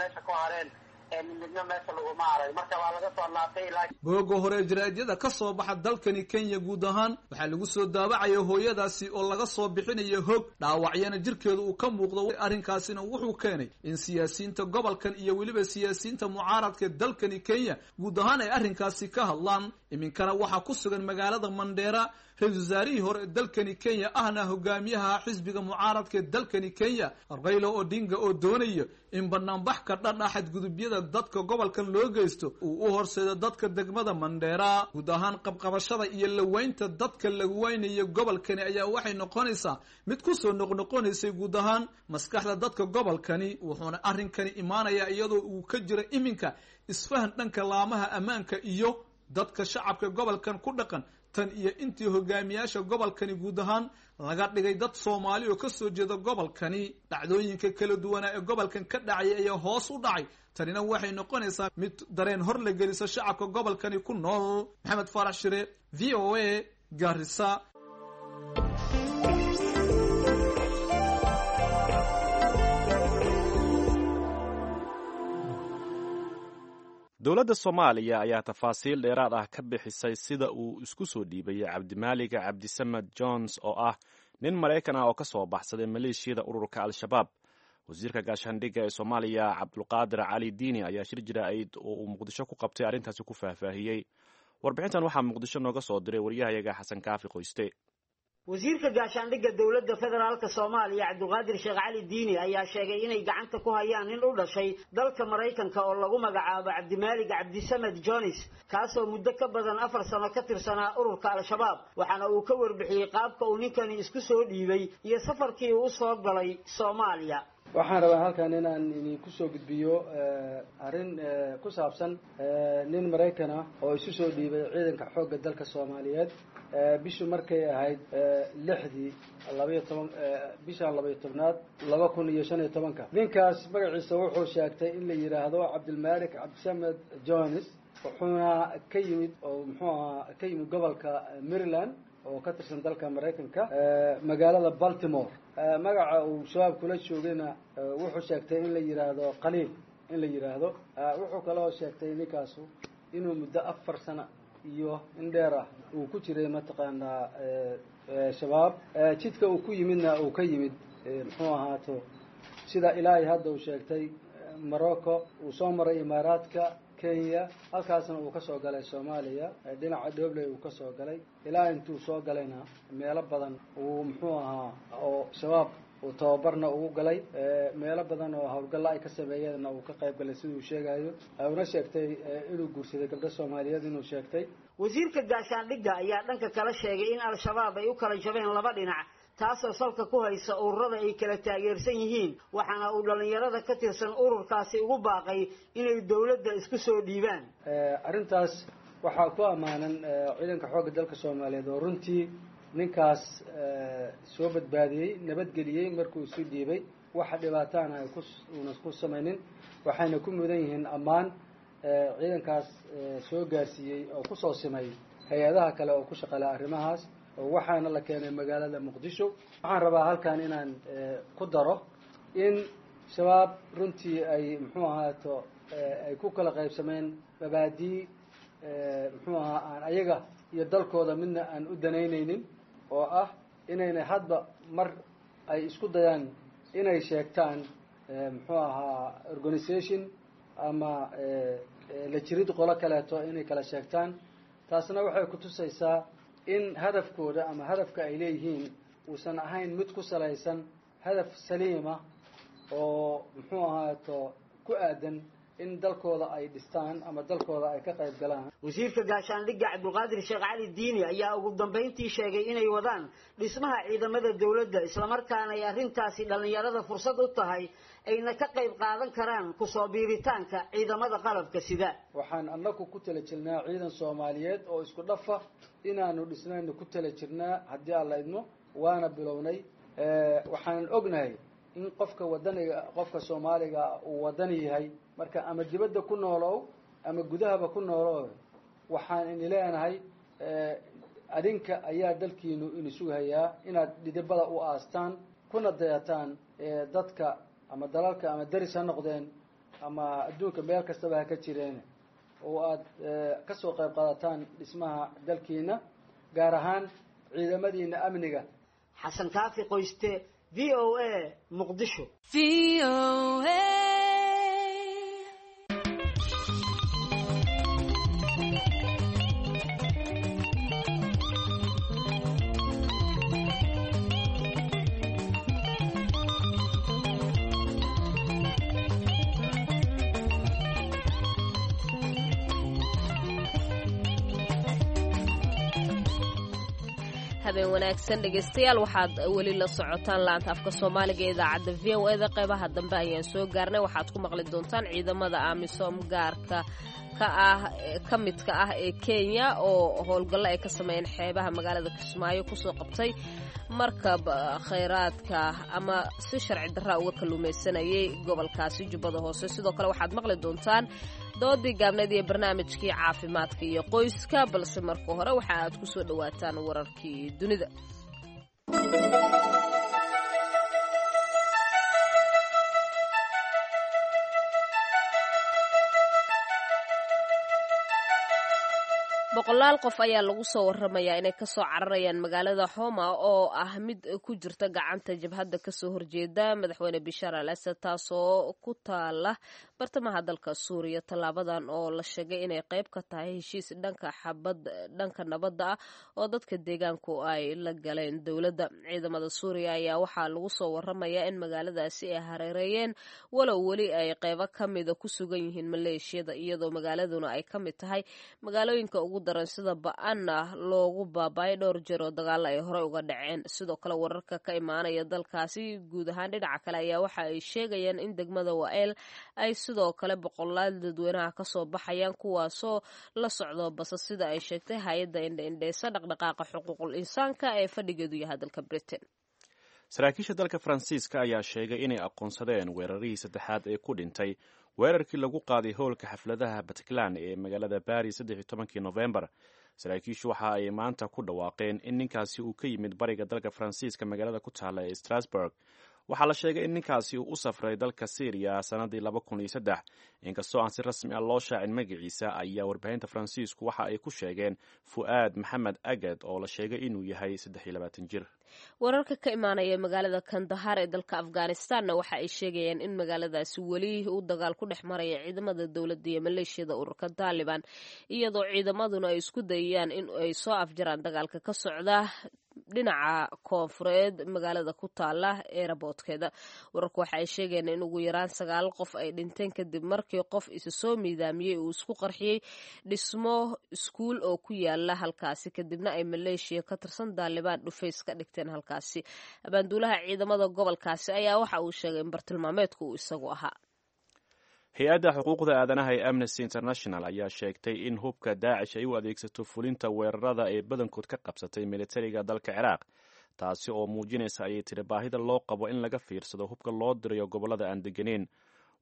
Speaker 16: meesha ku hareen Midna meesha laguma arag, marka waa laga soo laabtay ilaa
Speaker 15: Booga hore jaraa'idada ka soo baxa dalkani Kenya guud ahaan waxaa lagu soo daabacaya hooyadaasi oo laga soo bixinayo hog, dhaawacyana jirkeedu uu ka muuqdo. Arrinkaasina wuxuu keenay in siyaasiyiinta gobolkan iyo weliba siyaasiyiinta mucaaradka dalkani Kenya guud ahaan ay arrinkaasi ka hadlaan. Iminkana waxaa ku sugan magaalada Mandheera ra-iisul wasaarihii hore ee dalkani Kenya, ahna hogaamiyaha xisbiga mucaaradka ee dalkani Kenya, Raila Odinga, oo doonaya in banaanbax ka dhan ah xadgudubyada dadka gobolkan loo geysto uu u horseedo dadka degmada Mandheera. Guud ahaan qabqabashada iyo laweynta dadka lagu weynayo gobolkani ayaa waxay noqonaysaa mid kusoo noqnoqonaysay guud ahaan maskaxda dadka gobolkani, wuxuuna arrinkani imaanayaa iyadoo uu ka jira iminka isfahan dhanka laamaha ammaanka iyo dadka shacabka gobolkan ku dhaqan, tan iyo intii hogaamiyaasha gobolkani guud ahaan laga dhigay dad Soomaali oo ka soo jeeda gobolkani. Dhacdooyinka kala duwanaa ee gobolkan ka dhacay ayaa hoos u dhacay. Tanina waxay noqonaysaa mid dareen hor la geliso shacabka gobolkani ku nool. Maxamed Faarax Shire, V O A, Garissa.
Speaker 3: Dowladda Soomaaliya ayaa tafaasiil dheeraad ah ka bixisay sida uu isku soo dhiibayay Cabdimaaliga Cabdisamed Jones, oo ah nin Maraykan ah oo ka soo baxsaday maleeshiyada ururka Al-Shabaab. Wasiirka gaashaandhigga ee Soomaaliya, Cabdulqaadir Cali Diini, ayaa shir jira-ayd oo uu Muqdisho ku qabtay arrintaasi ku faahfaahiyey. Warbixintan waxaa Muqdisho nooga soo diray waryahayaga Xasan Kaafi Qoyste.
Speaker 17: Wasiirka gaashaandhigga dowladda federaalka Soomaaliya, Cabdiqaadir Sheekh Cali Diini, ayaa sheegay inay gacanta ku hayaan nin u dhashay dalka Maraykanka oo lagu magacaabo Cabdimaalig Cabdisamed Jones, kaasoo muddo ka badan afar sano ka tirsanaa ururka Al-Shabaab. Waxaana uu ka warbixiyey qaabka uu ninkani isku soo dhiibay iyo safarkii uu usoo galay Soomaaliya.
Speaker 18: Waxaan rabaa halkan inaan idinku soo gudbiyo arrin ku saabsan nin Maraykan ah oo isu soo dhiibay ciidanka xoogga dalka Soomaaliyeed bishu markay ahayd lixdii labaiyo toban bishan labaiyo tobnaad laba kun iyo shan iyo tobanka. Ninkaas magaciisa wuxuu sheegtay in la yidhaahdo Cabdilmalik Cabdisamed Jones, wuxuuna ka yimid oo muxuu ahaa ka yimid gobolka Maryland oo ka tirsan dalka Maraykanka, magaalada Baltimore. Magaca uu shabaab kula joogayna wuxuu sheegtay in la yidhaahdo Qaliil in la yidhaahdo. Wuxuu kaloo sheegtay ninkaasu inuu muddo afar sano iyo in dheer ah uu ku jiray mataqaanaa shabaab. Jidka uu ku yimidna uu ka yimid muxuu ahaato sida ilaahay hadda uu sheegtay Morocco, uu soo maray Imaaraadka, Kenya, halkaasna uu ka soo galay Soomaaliya, dhinaca Dhobley uu ka soo galay. Ilaa intuu soo galayna meelo badan uu muxuu ahaa oo shabaab uu tababarna ugu galay, meelo badan oo howlgalla ay ka sameeyeenna uu ka qayb galay siduu sheegayo. Una sheegtay inuu guursaday gabdho Soomaaliyeed inuu sheegtay.
Speaker 17: Wasiirka gaashaandhigga ayaa dhanka kala sheegay in Al-Shabaab ay u kala jabeen laba dhinac, taasoo salka ku haysa ururada ay kala taageersan yihiin, waxaana uu dhallinyarada ka tirsan ururkaasi ugu baaqay inay dowladda isku soo dhiibaan.
Speaker 18: Arrintaas waxaa ku ammaanan ciidanka xoogga dalka Soomaaliyeed oo runtii ninkaas soo badbaadiyey, nabadgeliyey markuu isu dhiibay, waxa dhibaataana ay kuuna ku samaynin. Waxayna ku mudan yihiin ammaan ciidankaas soo gaarsiiyey oo kusoo simay hay-adaha kale oo ku shaqala arrimahaas, waxaana la keenay magaalada Muqdisho. Waxaan rabaa halkan inaan ku daro in shabaab runtii ay muxuu ahaato ay ku kala qaybsameen mabaadii muxuu ahaa aan ayaga iyo dalkooda midna aan u danaynaynin, oo ah inaynay hadba mar ay isku dayaan inay sheegtaan muxuu ahaa organization ama la jirid qolo kaleeto inay kala sheegtaan. Taasna waxay kutusaysaa in hadafkooda ama hadafka ay leeyihiin uusan ahayn mid ku salaysan hadaf saliima oo muxuu ahaato ku aadan in dalkooda ay dhistaan ama dalkooda ay ka qayb galaan.
Speaker 17: Wasiirka gaashaandhigga Cabdulqaadir Sheekh Cali Diini ayaa ugu dambayntii sheegay inay wadaan dhismaha ciidamada dowladda, islamarkaana ay arrintaasi dhallinyarada fursad u tahay ayna ka qayb qaadan karaan kusoo biiritaanka ciidamada qalabka sida.
Speaker 18: Waxaan annagu ku tala jirnaa ciidan Soomaaliyeed oo isku dhafa inaanu dhisnaynu ku tala jirnaa haddii Alla idmo, waana bilownay. Waxaan ognahay in qofka wadaniga, qofka Soomaaliga uu wadani yahay, marka ama dibadda ku noolow ama gudahaba ku noolow, waxaan ini leenahay adinka ayaa dalkiinu ini sugayaa inaad dhidibada u aastaan kuna dayataan dadka ama dalalka ama deris ha noqdeen ama adduunka meel kastaba ha ka jireen oo aad ka soo qayb qaadataan dhismaha dalkiina, gaar ahaan ciidamadiina amniga.
Speaker 17: Xasan Kaafi Qoyste, V O A, Muqdisho.
Speaker 2: Habeen wanaagsan dhegeystayaal, waxaad weli la socotaan laanta afka soomaaliga ee idaacadda V O E da. Qeybaha dambe ayaan soo gaarnay. Waxaad ku maqli doontaan ciidamada AMISOM gaarka ka ah ka midka ah ee Kenya oo howlgallo ay ka sameeyeen xeebaha magaalada Kismaayo kusoo qabtay markab khayraadka ama si sharci darra uga kalluumaysanayay gobolkaasi Jubbada Hoose. Sidoo kale waxaad maqli doontaan doodii gaabneed iyo barnaamijkii caafimaadka iyo qoyska, balse marka hore waxa aad ku soo dhowaataan wararkii dunida. Boqolaal qof ayaa lagu soo waramayaa inay kasoo cararayaan magaalada Homa oo ah mid ku jirta gacanta jabhadda kasoo horjeeda madaxweyne Bishaar al Asad, taasoo ku taala bartamaha dalka Suuriya. Tallaabadan oo la sheegay inay qayb ka tahay heshiis dhanka xabad dhanka nabadda ah oo dadka deegaanku ay la galeen dowladda. Ciidamada Suuriya ayaa waxaa lagu soo waramayaa in magaaladaasi ay hareereeyeen, walow weli ay qaybo ka mida ku sugan yihiin maleeshiyada, iyadoo magaaladuna ay ka mid tahay magaalooyinka ugu daran sida ba-anna loogu baaba'ay dhowr jeer oo dagaalo ay horey uga dhaceen. Sidoo kale wararka ka imaanaya dalkaasi guud ahaan dhinaca kale ayaa waxa ay sheegayaan in degmada Wael ay sidoo kale boqolaal dadweynaha kasoo baxayaan, kuwaasoo la socdo basa, sida ay sheegtay hay-adda indha-indheysa dhaqdhaqaaqa xuquuqul insaanka ee fadhigeedu yahay dalka Britain.
Speaker 3: Saraakiisha dalka Faransiiska ayaa sheegay inay aqoonsadeen weerarihii saddexaad ee ku dhintay weerarkii lagu qaaday howlka xafladaha Bataclan ee magaalada Baris saddex iyo tobankii Novembar. Saraakiishu waxa ay maanta ku dhawaaqeen in ninkaasi uu ka yimid bariga dalka Faransiiska magaalada ku taalla ee Strasbourg. Waxaa la sheegay in ninkaasi uu u safray dalka Syriya sannadii laba kun iyo saddex. Inkastoo aan si rasmi ah loo shaacin magaciisa, ayaa warbaahinta Faransiisku waxa ay ku sheegeen Fu'aad Maxamed Agad oo la sheegay inuu yahay saddex iyo labaatan jir.
Speaker 2: Wararka ka imaanaya magaalada Kandahar ee dalka Afghanistanna waxa ay sheegayaan in magaaladaasi weli uu dagaal ku dhex maraya ciidamada dowladda iyo maleeshiyada ururka Taliban, iyadoo ciidamaduna ay isku dayayaan in ay soo afjaraan dagaalka ka socda dhinaca koonfureed magaalada ku taala eeraboodkeeda. Wararku waxa ay sheegayaan in ugu yaraan sagaal qof ay dhinteen kadib markii qof isa soo miidaamiyey uu isku qarxiyey dhismo iskuul oo ku yaala halkaasi, kadibna ay maleeshiya ka tirsan Daalibaan dhufays ka dhigteen halkaasi. Abaanduulaha ciidamada gobolkaasi ayaa waxa uu sheegay in bartilmaameedku uu isagu ahaa.
Speaker 3: Hay-adda xuquuqda aadanaha ee Amnesty International ayaa sheegtay in hubka Daacish ay u adeegsato fulinta weerarada ee badankood ka qabsatay militariga dalka Ciraaq, taasi oo muujinaysa ayay tiri baahida loo qabo in laga fiirsado hubka loo dirayo gobollada aan deganeyn.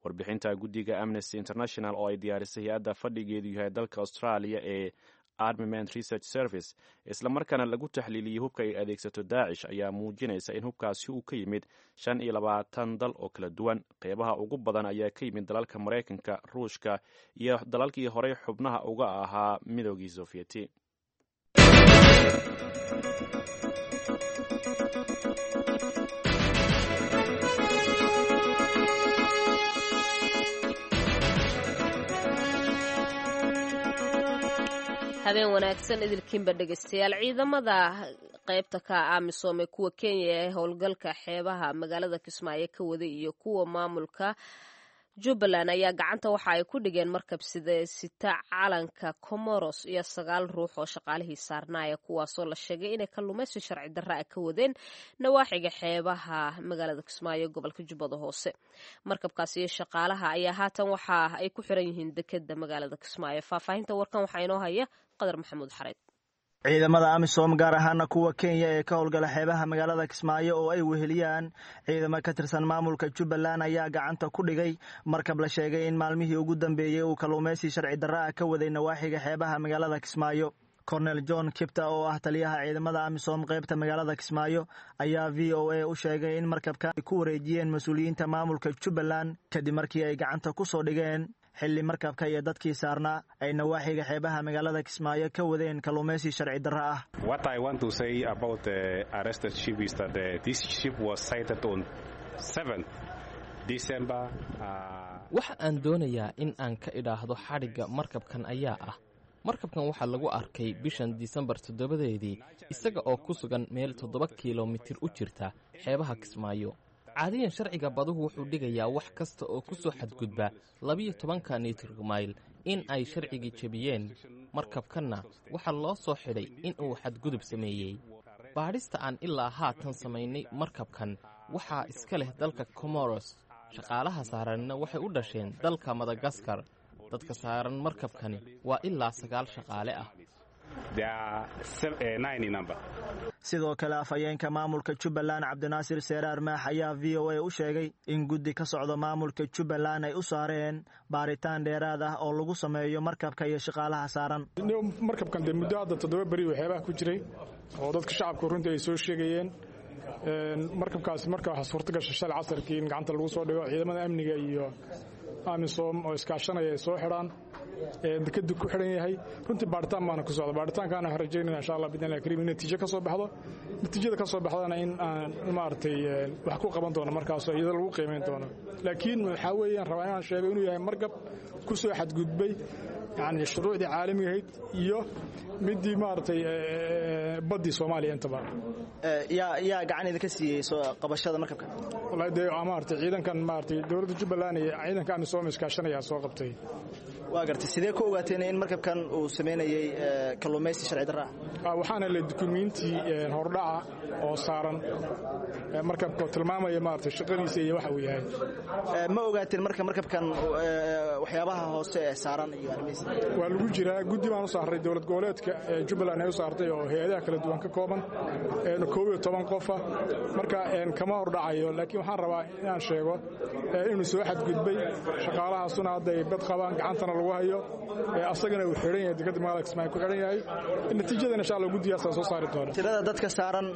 Speaker 3: Warbixinta guddiga Amnesty International oo ay diyaarisay hay-adda fadhigeedu yahay dalka Australia ee Armament Research Service, islamarkaana lagu taxliiliyey hubka ay adeegsato Daacish, ayaa muujinaysa in hubkaasi uu ka yimid shan iyo labaatan dal oo kala duwan. Qeybaha ugu badan ayaa ka yimid dalalka Maraykanka, Ruushka iyo dalalkii horey xubnaha uga ahaa Midoogii Sofiyeeti.
Speaker 2: Habeen wanaagsan idilkiinba dhegeystayaal. Ciidamada qaybta ka AMISOM ee kuwa Kenya ee howlgalka xeebaha magaalada Kismaayo ka waday iyo kuwa maamulka Jubbaland ayaa gacanta waxa ay ku dhigeen markab sida sita calanka Comoros iyo sagaal ruux oo shaqaalihii saarnaaya, kuwaasoo la sheegay inay kalluumaysi sharci darra ah ka wadeen nawaaxiga xeebaha magaalada Kismaayo gobolka Jubbada Hoose. Markabkaasi iyo shaqaalaha ayaa haatan waxa ay ku xiran yihiin dekeda magaalada Kismaayo. Faahfaahinta warkan waxaa inoo haya Qadar Maxamuud Xareed.
Speaker 19: Ciidamada AMISOM gaar ahaana kuwa Kenya ee ka howlgala xeebaha magaalada Kismaayo oo ay weheliyaan ciidamo ka tirsan maamulka Jubbaland ayaa gacanta ku dhigay markab la sheegay in maalmihii ugu dambeeyey uu kalluumaysi sharci darra ah ka waday nawaaxiga xeebaha magaalada Kismaayo. Cornel John Kipta oo ah taliyaha ciidamada AMISOM qaybta magaalada Kismaayo ayaa V O A u sheegay in markabka ay ku wareejiyeen mas-uuliyiinta maamulka Jubbaland kadib markii ay gacanta ku soo dhigeen xilli markabka iyo dadkii saarnaa ay nawaaxiga xeebaha magaalada Kismaayo ka wadeen kalluumaysi sharci darro ah.
Speaker 20: What I want to say about the arrested ship is that uh, this ship was sighted on seventh December. Uh,
Speaker 21: Waxa aan doonayaa in aan ka idhaahdo xadhigga markabkan ayaa ah markabkan waxaa lagu arkay bishan Disembar toddobadeedii isaga oo ku sugan meel toddoba kilomitir u jirta xeebaha Kismaayo. Caadiyan sharciga baduhu wuxuu dhigayaa wax kasta oo ku soo xadgudba labiyo tobanka nitrig mayl in ay sharcigii jebiyeen. Markabkanna waxaa loo soo xidhay in uu xadgudub sameeyey. Baadhista aan ilaa haatan samaynay markabkan waxaa iska leh dalka Comoros, shaqaalaha saaranna waxay u dhasheen dalka Madagaskar. Dadka saaran markabkani waa ilaa sagaal shaqaale ah.
Speaker 20: There are seven, uh, nine in number.
Speaker 19: Sidoo kale afhayeenka maamulka Jubbaland Cabdinaasir Seeraar Maax ayaa V O A u sheegay in guddi ka socda maamulka Jubbaland ay u saareen baaritaan dheeraad ah oo lagu sameeyo markabka iyo shaqaalaha saaran.
Speaker 22: Markabkan dee muddo hadda toddoba beri uu xeebaha ku jiray oo dadka shacabku runtii ay soo sheegayeen. Markabkaasi marka waxaa suurta gashay shalay casarkii in gacanta lagu soo dhigo ciidamada amniga iyo AMISOM oo iskaashanaya ay soo xidhaan, dekadu ku xidhan yahay. Runtii baaritaan baana ku socda, baaritaankaana waxaan rajaynayna insha Allah bidnillahi kariim in natiijo ka soo baxdo, natiijada ka soo baxdana in aan maaragtay wax ku qaban doono markaas oo iyada lagu qiimeyn doono. Laakiin waxaa weeyaan rabaa inaan sheego inuu yahay markab ku soo xadgudbay yacni shuruucdii caalamiga ahayd iyo midii maaragtay baddii Soomaaliya intaba.
Speaker 19: Yaa yaa gacan idinka siiyey soo qabashada markabka?
Speaker 22: Wallahi dee maaragtay ciidankan maaragtay dowladda Jubbaland iyo ciidanka AMISOM iskaashanaya soo qabtay.
Speaker 19: Waa gartay, sidee ku ogaateen in markabkan uu sameynayay kalluumaysi sharci darro
Speaker 22: ah? Waxaana la dukumiinti hordhaca oo saaran markabka tilmaamaya maaragtay shaqadiisa iyo waxa uu yahay.
Speaker 19: Ma ogaateen marka markabkan waxyaabaha hoose ee saaran iyo arrimihiisa?
Speaker 22: Waa lagu jiraa, guddi baan u saaray dowlad goboleedka Jubbaland ay u saartay oo hay'adaha kala duwan ka kooban koob iyo toban qof ah. Marka kama hordhacayo, laakiin waxaan rabaa inaan sheego inuu soo xadgudbay, shaqaalahaasuna hadda ay bad qabaan, gacantana lagu hayo, asagana uu xidhan yahay dekadda magaalada Kismaayo ku xidhan yahay. Natiijadana insha Allah guddigaasaa soo saari doona.
Speaker 19: Tirada dadka saaran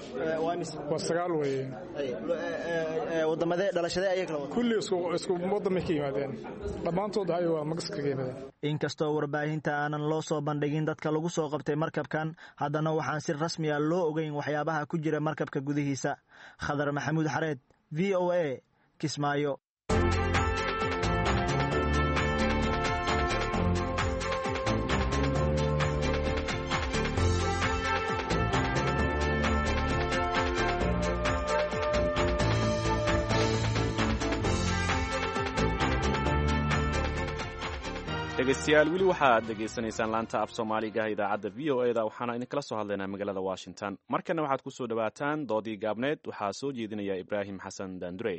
Speaker 19: waa imise?
Speaker 22: Waa sagaal weeye.
Speaker 19: Wadamadee dhalashadee ayay kala wadaan?
Speaker 22: Kulli isku isku waddan bay ka yimaadeen, dhammaantood waxay waa Magaska ka yimaadeen.
Speaker 19: Inkastoo warbaahinta aanan loo soo bandhigin dadka lagu soo qabtay markabkan, haddana waxaan si rasmi ah loo ogeyn waxyaabaha ku jira markabka gudihiisa. Khadar Maxamuud Xareed, V O A, Kismaayo.
Speaker 3: Dhegeystayaal, weli waxaad dhegaysanaysaan laanta af soomaaliga idaacadda V O E da, waxaana idinkala soo hadlaynaa magaalada Washington. Markana waxaad ku soo dhowaataan doodii gaabneed, waxaa soo jeedinaya Ibraahim Xasan Daandurey.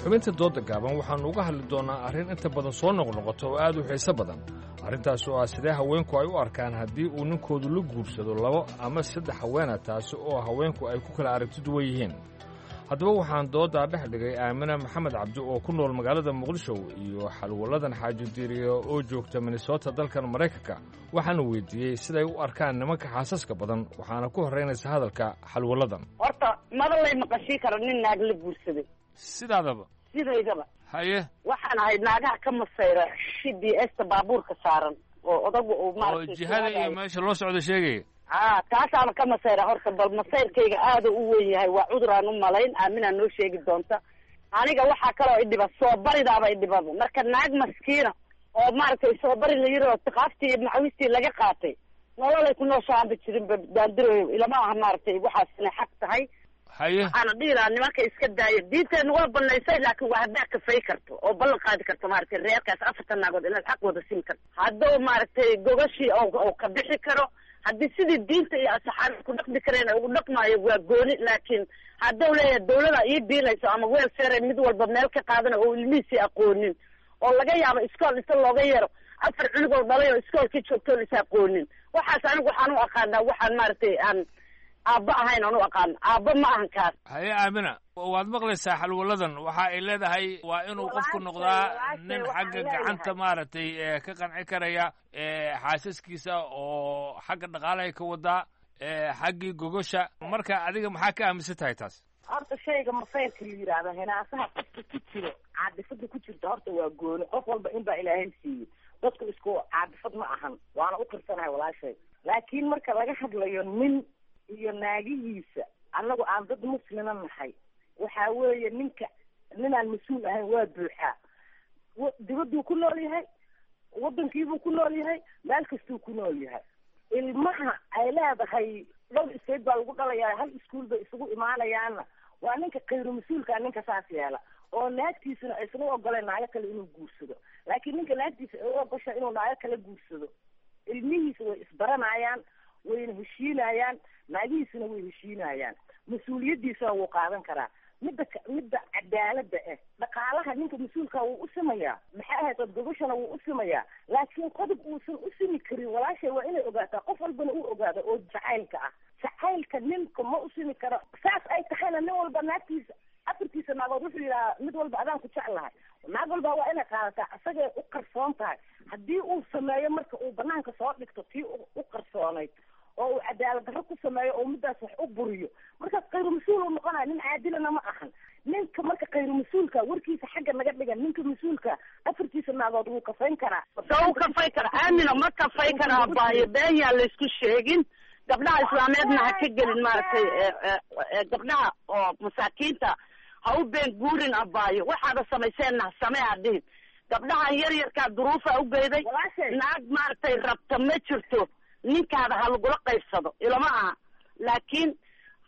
Speaker 23: Xubinta dooda gaaban waxaannu uga hadli doonnaa arrin inta badan soo noqnoqota oo aad u xiiso badan, arrintaas oo ah sidee haweenku ay u arkaan haddii uu ninkoodu la guursado labo ama saddex haweena, taasi oo haweenku ay ku kala aragti duwan yihiin. Haddaba waxaan dooddaa dhex dhigay Aamina Maxamed Cabdi oo ku nool magaalada Muqdisho iyo Xalwaladan Xaaji Diiriye oo joogta Minnesota dalkan Maraykanka. Waxaana weydiiyey siday u arkaan nimanka xaasaska badan, waxaana ku horraynaysa hadalka Xalwaladan.
Speaker 24: Horta maba lay maqashii karo nin naag la guursaday.
Speaker 23: Sidaadaba?
Speaker 24: Sidaydaba.
Speaker 23: Haye.
Speaker 24: Waxaan ahayd naagaha ka masayra shidii esta baabuurka saaran oo odagu uu
Speaker 23: oo jihada iyo meesha loo socdo sheegaya.
Speaker 24: A taasaana ka masayra horta, bal masayrkayga aada u weyn yahay, waa cudur aan u malayn, aaminaa noo sheegi doonta. Aniga waxaa kaloo idhiba soo baridaaba idhibaba, marka naag maskiina oo maaragtay soo bari la yiri oo tiqaaftii iyo macawistii laga qaatay nololay ku nooshaanba jirinba daandiroyo, ilama aha maaragtay waxaas inay xaq tahay.
Speaker 23: Haye.
Speaker 24: Waxaana dhihi lahaa nimanka iska daaya, diinteenu waa banaysay, laakiin waa haddaa kafay karto oo ballan qaadi karto maaragtay reerkaas afartan naagood inaad xaq wada siin karto, hadduu maaragtay gogashii oo ka bixi karo, haddii sidii diinta iyo asaxaabada ku dhaqmi kareen ugu dhaqmaayo waa gooni. Laakiin hadduu leeyahay dawlada ii biilayso ama welfare mid walba meel ka qaadana oo ilmihiisii aqoonin, oo laga yaabo iskool inta looga yeero afar cunugoo dhalay oo iskoolkii joogtoon is aqoonin, waxaas anigu waxaan u aqaanaa waxaan maaragtay aan Aabba ahayn aan u aqaan, aabba ma ahan kaas.
Speaker 23: Haye Aamina, waad maqlaysaa xalwaladan waxa ay leedahay waa inuu qofku noqdaa nin xagga gacanta maaragtay ka qanci karaya xaasaskiisa oo xagga dhaqaalahay ka wadaa, xaggii gogosha. Marka adiga maxaa ka aaminsan tahay taas?
Speaker 1: Horta shayga masayrka la yidhaahdo, hinaasaha qofka ku jiro, caadifada ku jirta horta waa gooni. Qof walba in baa Ilaahay siiyey, dadku isku caadifad ma ahan, waana u qirsanahay walaashay. Laakiin marka laga hadlayo nin iyo naagihiisa, annagu aan dad muslima nahay, waxaa weeye ninka ninaan mas-uul ahayn waa buuxaa. Dibaduu ku nool yahay, wadankiibuu ku nool yahay, meel kastuu ku nool yahay. Ilmaha ay leedahay dhowr state baa lagu dhalayaa, hal iskuol bay isugu imaanayaanna, waa ninka khayru mas-uulkaa, ninka saas yeela oo naagtiisuna aysan u ogoleen naago kale inuu guursado. Laakiin ninka naagtiisa ay u ogosha inuu naago kale guursado, ilmihiisa way isbaranayaan, wayna heshiinayaan, naagihiisuna way heshiinayaan, mas-uuliyaddiisana wuu qaadan karaa. Midda midda cadaalada ah, dhaqaalaha ninka mas-uulka wuu u simayaa, maxay ahayd ood gogashana wuu u simayaa. Laakiin qodob uusan u simi karin walaashay waa inay ogaataa, qof walbana uu ogaado oo jacaylka ah, jacaylka ninka ma u simi karo. Saas ay tahayna nin walba naagtiisa afartiisa naagood wuxuu yidhahaa mid walba adaan ku jeclahay. Naag walba waa inay qaadataa isagay u qarsoon tahay. Haddii uu sameeyo marka uu banaanka soo dhigto tii u qarsoonayd oo uu cadaalad darro ku sameeyo oo middaas wax u buriyo, markaas khayru mas-uul uu noqonaya, nin caadilana ma ahan ninka. Marka khayru mas-uulka warkiisa xagga naga dhigan, ninka mas-uulka afartiisa naagood wuu kafayn karaa.
Speaker 24: Soo kafay kara Aamino, ma kafay karaa baayo, been yaa laysku sheegin. Gabdhaha islaameedna ha ka gelin maaragtay, gabdhaha oo masaakiinta ha u been guurin abaayo. Waxaada samayseenna ha samee ha dhihin. Gabdhahan yar yarkaa duruufa u geyday, naag maaragtay rabta ma jirto, ninkaada ha lagula qaybsado ilama aha. Laakiin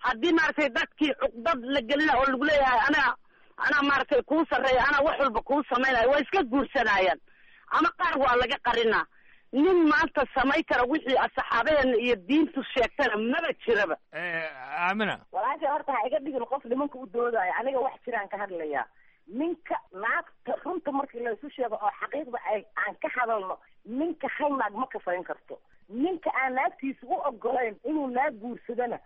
Speaker 24: haddii maaragtay dadkii cuqdad la gelina oo lagu leeyahay anaa anaa maaragtay kuu sarreeya, anaa wax walba kuu samaynayo, waa iska guursanayaan ama qaar waa laga qarinaa. Nin maanta samay kara wixii asxaabaheena iyo diintu sheegtana maba jiraba.
Speaker 23: Aamina,
Speaker 1: walaashay horta ha iga dhigin qof nimanka u doodaayo, aniga wax jiraan ka hadlayaa. Ninka naagta runta markii laysu sheego oo xaqiiqda ay aan ka hadalno, ninka hal naag ma kafayn karto. Ninka aan naagtiisa u ogolayn inuu naag guursadana,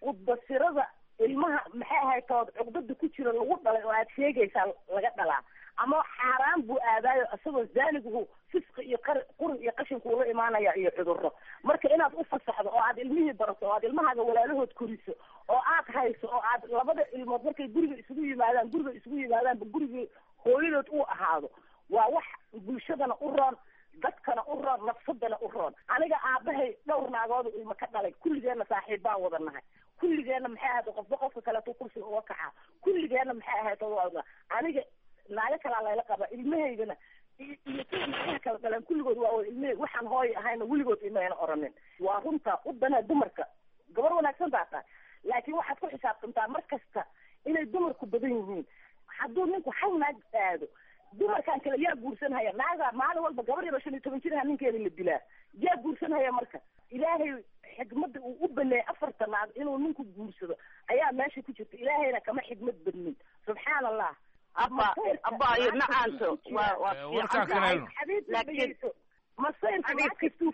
Speaker 1: udbasirada ilmaha maxay ahayd tood cuqdada ku jira lagu dhalay oo aad sheegaysaa laga dhalaa, ama xaaraan buu aadaayo isagoo zaaniguhu fisqi iyo qar qurin iyo qashinku ula imaanaya iyo cudurro. Marka inaad u fasaxdo oo aad ilmihii barato oo aad ilmahaaga walaalahood koriso oo aad hayso oo aad labada ilmood markay guriga isugu yimaadaan guriga isugu yimaadaanba gurigii hooyadood uu ahaado, waa wax bulshadana u roon, dadkana u roon, nafsadana u roon. Aniga aabahay dhowr naagoodu ilmo ka dhalay, kulligeenna saaxiib baan wada nahay, kulligeenna maxay ahayd qofba qofka kaleeto kursiga uga kacaa, kulligeenna maxay ahayd aniga naago kalaa layla qaba, ilmahaygana iyo kuwa naagaha kala dhaleen kulligood waa wada ilmahayg. Waxaan hooya ahayna weligood imayna oranin. Waa runta u danee dumarka, gabar wanaagsan baa tahay, laakiin waxaad ku xisaabtantaa mar kasta inay dumarku badan yihiin. Hadduu ninku hal naag aado, dumarkan kale yaa guursanhaya? Naagaa maalin walba gabar yaro shan iyo toban jiraha ninkeeda la dilaa, yaa guursanhaya? Marka Ilaahay xikmadda uu u baneeyay afarta naag inuu ninku guursado ayaa meesha ku jirta. Ilaahayna kama xikmad badnin, subxaan Allah.
Speaker 24: Abba abaayo macaanto waa waa fiican, laakiin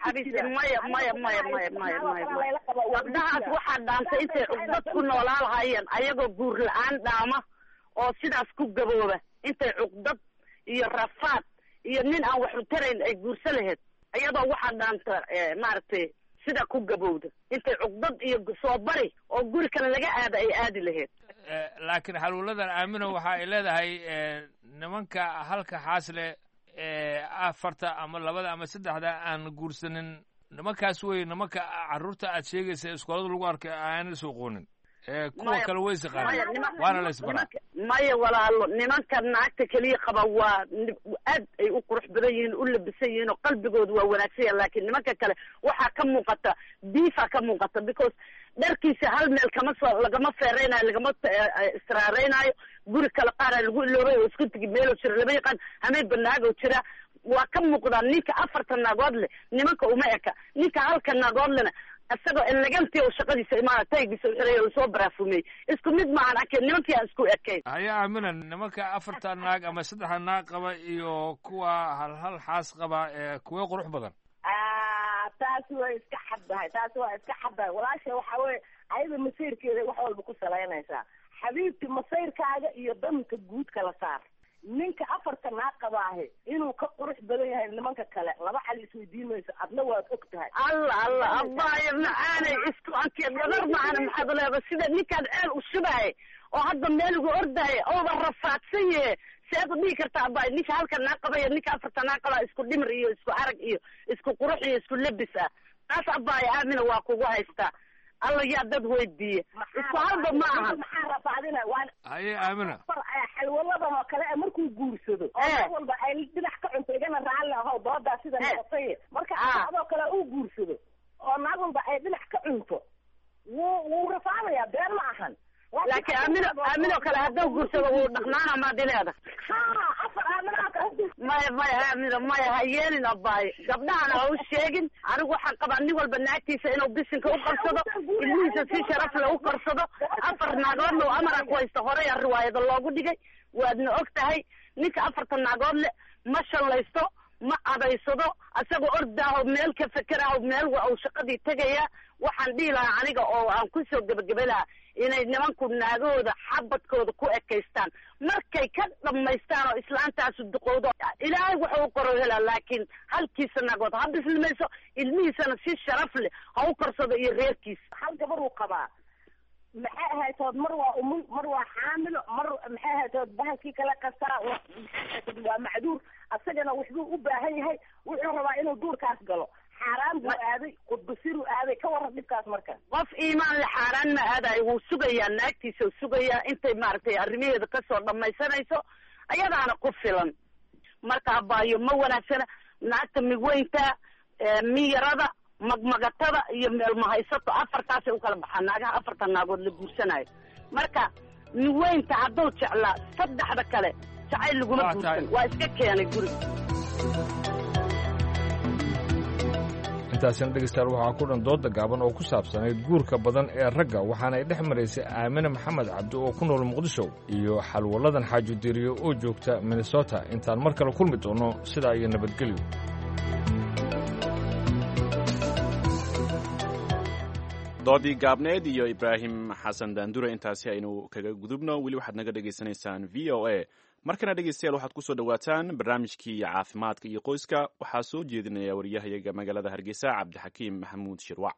Speaker 24: xabiibti maya maya maya maya maya maya maya gabdhahaas waxaa dhaantay intay cuqdad ku noolaa lahaayeen ayagoo guur la-aan dhaama oo sidaas ku gabooba, intay cuqdad iyo rafaad iyo nin aan wax u tarayn ay guursa lahayd, iyadoo waxaa dhaanta maaragtay sida ku gabowda intay cuqdad iyo soo bari oo guri kale laga aada ay aadi lahayd.
Speaker 23: Laakiin xaluuladan Aamino waxa ay leedahay nimanka halka xaasle afarta ama labada ama saddexda aan guursanin, nimankaas wey nimanka carruurta aad sheegaysa iskoolada lagu arkay aan is aqoonin, kuwa kale way isaqaanin waana la isbaraa.
Speaker 24: Maya walaalo, nimanka naagta keliya qaba waa aad ay u qurux badan yihiin, u labisan yihiin oo qalbigooda waa wanaagsan yahay. Laakiin nimanka kale waxaa ka muuqata diifa ka muuqata, because dharkiisa hal meel kama soo lagama feereynayo, lagama israareynaayo, guri kale qaaraa lagu iloobay oo isku tegi meeloo jira lama yaqaan, hameenba naagoo jira waa ka muuqdaa. Ninka afarta naagood leh nimanka uma eka, ninka halka naagood lena isagoo eleganti oo shaqadiisa imaana taygiisa u xiray oo soo baraafumey isku mid maahan arkeen nimankii aan isku ekayn.
Speaker 23: Haya Aamina, nimanka afarta naag ama saddexda naag qaba iyo kuwa hal hal xaas qaba ee kuwee qurux badan?
Speaker 1: Taasi waa iska xaddahay, taasi waa iska xaddahay walaasha. Waxaa weye ayada masayrkeeda wax walba ku salaynaysaa. Xabiibti, masayrkaaga iyo danka guud kala saar. Ninka afarta naag qabaahe inuu ka qurux badan yahay nimanka kale laba xal isweydiin mayso, adna waad og tahay.
Speaker 24: Allah allah, abaayo macaanay, isku ankeed gabar macana. Maxaad leeda sida ninkaan ceel u shubahay oo hadda meel ugu ordahay ooba rafaadsan yahe, sead u dhihi kartaa abaayo ninka halka naag qabaya, ninka afarta naag qabaa isku dhimir iyo isku arag iyo isku qurux iyo isku lebis ah? Taas abaayo Aamina waa kugu haystaa. Alla yaa dad weydiiye, isku halba ma ahan.
Speaker 1: Maxaa rafaadina? Waan
Speaker 23: Haye Aamina.
Speaker 1: Xalwaladan oo kale markuu guursado oo mar walba ay dhinac ka cunto, igana raalli ahow doodaa sida noqotay, marka adoo kale uu guursado oo naag walba ay dhinac ka cunto, wuu wuu rafaadayaa, been ma ahan.
Speaker 24: Laakiin Aamino, Aaminoo kale hadduu guursado wuu dhaqnaana, maad ileeda?
Speaker 1: Ha, afar Aaminoo kale.
Speaker 24: Maya maya Aamino, maya, ha yeelin abaayo, gabdhahana ha u sheegin. Anigu waxaan qabaa nin walba naagtiisa inuu bisinka u qabsado, ilmihiisa si sharaf leh u korsado. Afar naagoodna uu amara ku haysto, horey a riwaayada loogu dhigay, waadna og tahay. Ninka afarta naagood le ma shallaysto, ma adaysado, asagoo ordaaho meel ka fekeraaho meel wa uu shaqadii tegaya. Waxaan dhihi lahaa aniga oo aan kusoo gebagebe lahaa inay nimanku naagahooda xabadkooda ku ekaystaan markay ka dhammaystaan oo islaantaasu duqowdo, Ilaahay wuxuu u qoro helaa, laakiin halkiisa naagood ha bislimayso, ilmihiisana si sharaf leh ha u korsado iyo reerkiisa.
Speaker 1: Hal gabar uu qabaa, maxay ahaytood, mar waa umul, mar waa xaamilo, mar maxay ahaytood bahalkii kala qastaa, maxay ahaytood waa macduur, asagana waxbuu u baahan yahay, wuxuu rabaa inuu duurkaas galo. Xaaraan buu aaday, qudbasiruu aaday, ka waran dhibkaas marka?
Speaker 24: Qof iimaan le xaaraan ma aadayo, wuu sugayaa naagtiisa, uu sugayaa intay maaragtay arrimaheeda kasoo dhammaysanayso, ayadaana ku filan. Marka abaayo ma wanaagsana naagta migweynta, miyarada, magmagatada iyo meelmahaysato, afartaasay u kala baxaan naagaha afarta naagood la guursanayo. Marka miweynta hadduu jeclaa, saddexda kale jacayl laguma guursan, waa iska keenay guriga.
Speaker 23: Intaasina dhegeystayaal waxaa ku dhan dooda gaaban oo ku saabsanayd guurka badan ee ragga, waxaana ay dhex maraysay Aamine Maxamed Cabdi oo ku nool Muqdisho iyo Xalwaladan Xaaji Diiriyo oo joogta Minnesota. Intaan mar kale kulmi doono, sidaa iyo nabadgelyo.
Speaker 3: Doodii gaabneed iyo Ibraahim Xasan Daandure intaasi aynu kaga gudubno. Weli waxaad naga dhegaysanaysaan V O A. Markana dhegeystayaal waxaad kusoo dhowaataan barnaamijkii caafimaadka iyo qoyska. Waxaa soo jeedinaya wariyahayaga magaalada Hargeysa, Cabdixakiim Maxamuud Shirwac.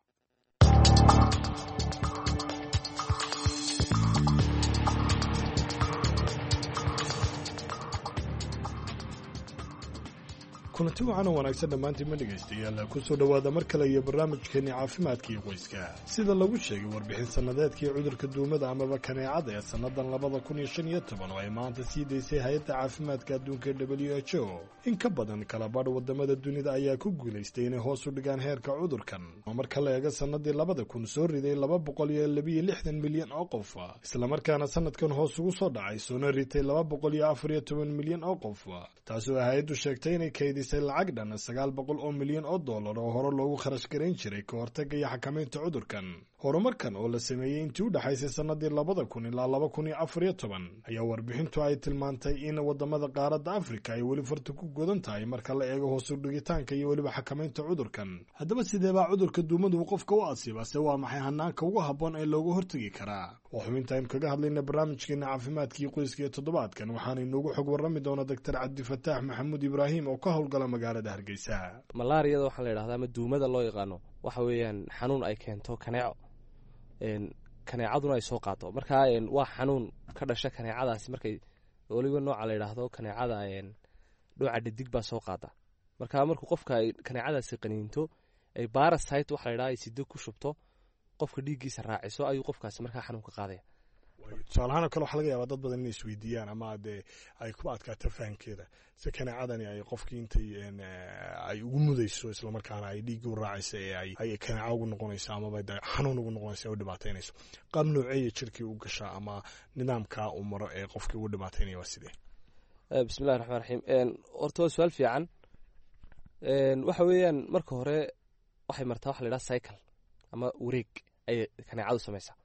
Speaker 4: Kulanti wacan oo wanaagsan dhammaantiin ma dhegaystayaal, kusoo dhowaada mar kale iyo barnaamijkeenni caafimaadka iyo qoyska. Sida lagu sheegay warbixin sannadeedkii cudurka duumada amaba kaneecada ee sannadan labada kun iyo shan iyo toban oo ay maanta sii daysay hay-adda caafimaadka adduunka W H O, in ka badan kala badh wadamada dunida ayaa ku guulaystay inay hoos u dhigaan heerka cudurkan oo marka la eego sannadii labada kun soo riday laba boqol iyo labiyo lixdan milyan oo qof, islamarkaana sanadkan hoos ugu soo dhacay soona ritay laba boqol iyo afar iyo toban milyan oo qof, taasoo hay-addu sheegtay inay kaydisay lacag dhan sagaal boqol oo milyan oo dollar oo hore loogu kharash garayn jiray ka hortagga iyo xakamaynta cudurkan. Horumarkan oo la sameeyey intii u dhexaysay sannadii labada kun ilaa laba kun iyo afar iyo toban ayaa warbixintu ay tilmaantay in wadamada qaaradda Afrika ay weli farta ku godan tahay marka la eego hoos u dhigitaanka iyo weliba xakamaynta cudurkan. Haddaba sidee baa cudurka duumadu qofka u asiiba? Se waa maxay hanaanka ugu habboon ee looga hortegi karaa? Waa xubinta aynu kaga hadlayna barnaamijkeena caafimaadkii qoyska ee toddobaadkan. Waxaana inoogu xog warrami doona Doctor Cabdifataax Maxamuud Ibraahim oo ka howlgala magaalada Hargeysa.
Speaker 6: Malaariyada waxaa la yidhahdaa ama duumada loo yaqaano waxa weeyaan xanuun ay keento kaneeco, kaneecaduna ay soo qaato. Marka waa xanuun ka dhasha kaneecadaasi, markay weliba nooca la yidhaahdo kaneecada dhooca dhadig baa soo qaada. Marka markuu qofka ay kaneecadaasi qaniinto, ay parasite waxa la yidhahda ay sido ku shubto, qofka dhiiggiisa raaciso, ayuu qofkaasi markaa xanuunka qaadaya.
Speaker 4: Tusaalahaan oo kale, waxaa laga yaabaa dad badan inay isweydiiyaan ama dee ay ku adkaato fahamkeeda si kaneecadani ay qofkii intay ay ugu mudayso, islamarkaana ay dhiigga u raacaysa ee ay ay kaneeco ugu noqonayso amaba de xanuun ugu noqonayso ee u dhibaataynayso, qaab nooceeya jirkii u gashaa ama nidaamkaa uu maro ee qofkii ugu dhibaataynaya waa sidee?
Speaker 6: Bismillahi raxmaan raxiim. Horta waa su-aal fiican. Waxa weeyaan marka hore waxay martaa waxa la yidhaha cycle ama wareeg ayay kaneecadu samaysaa.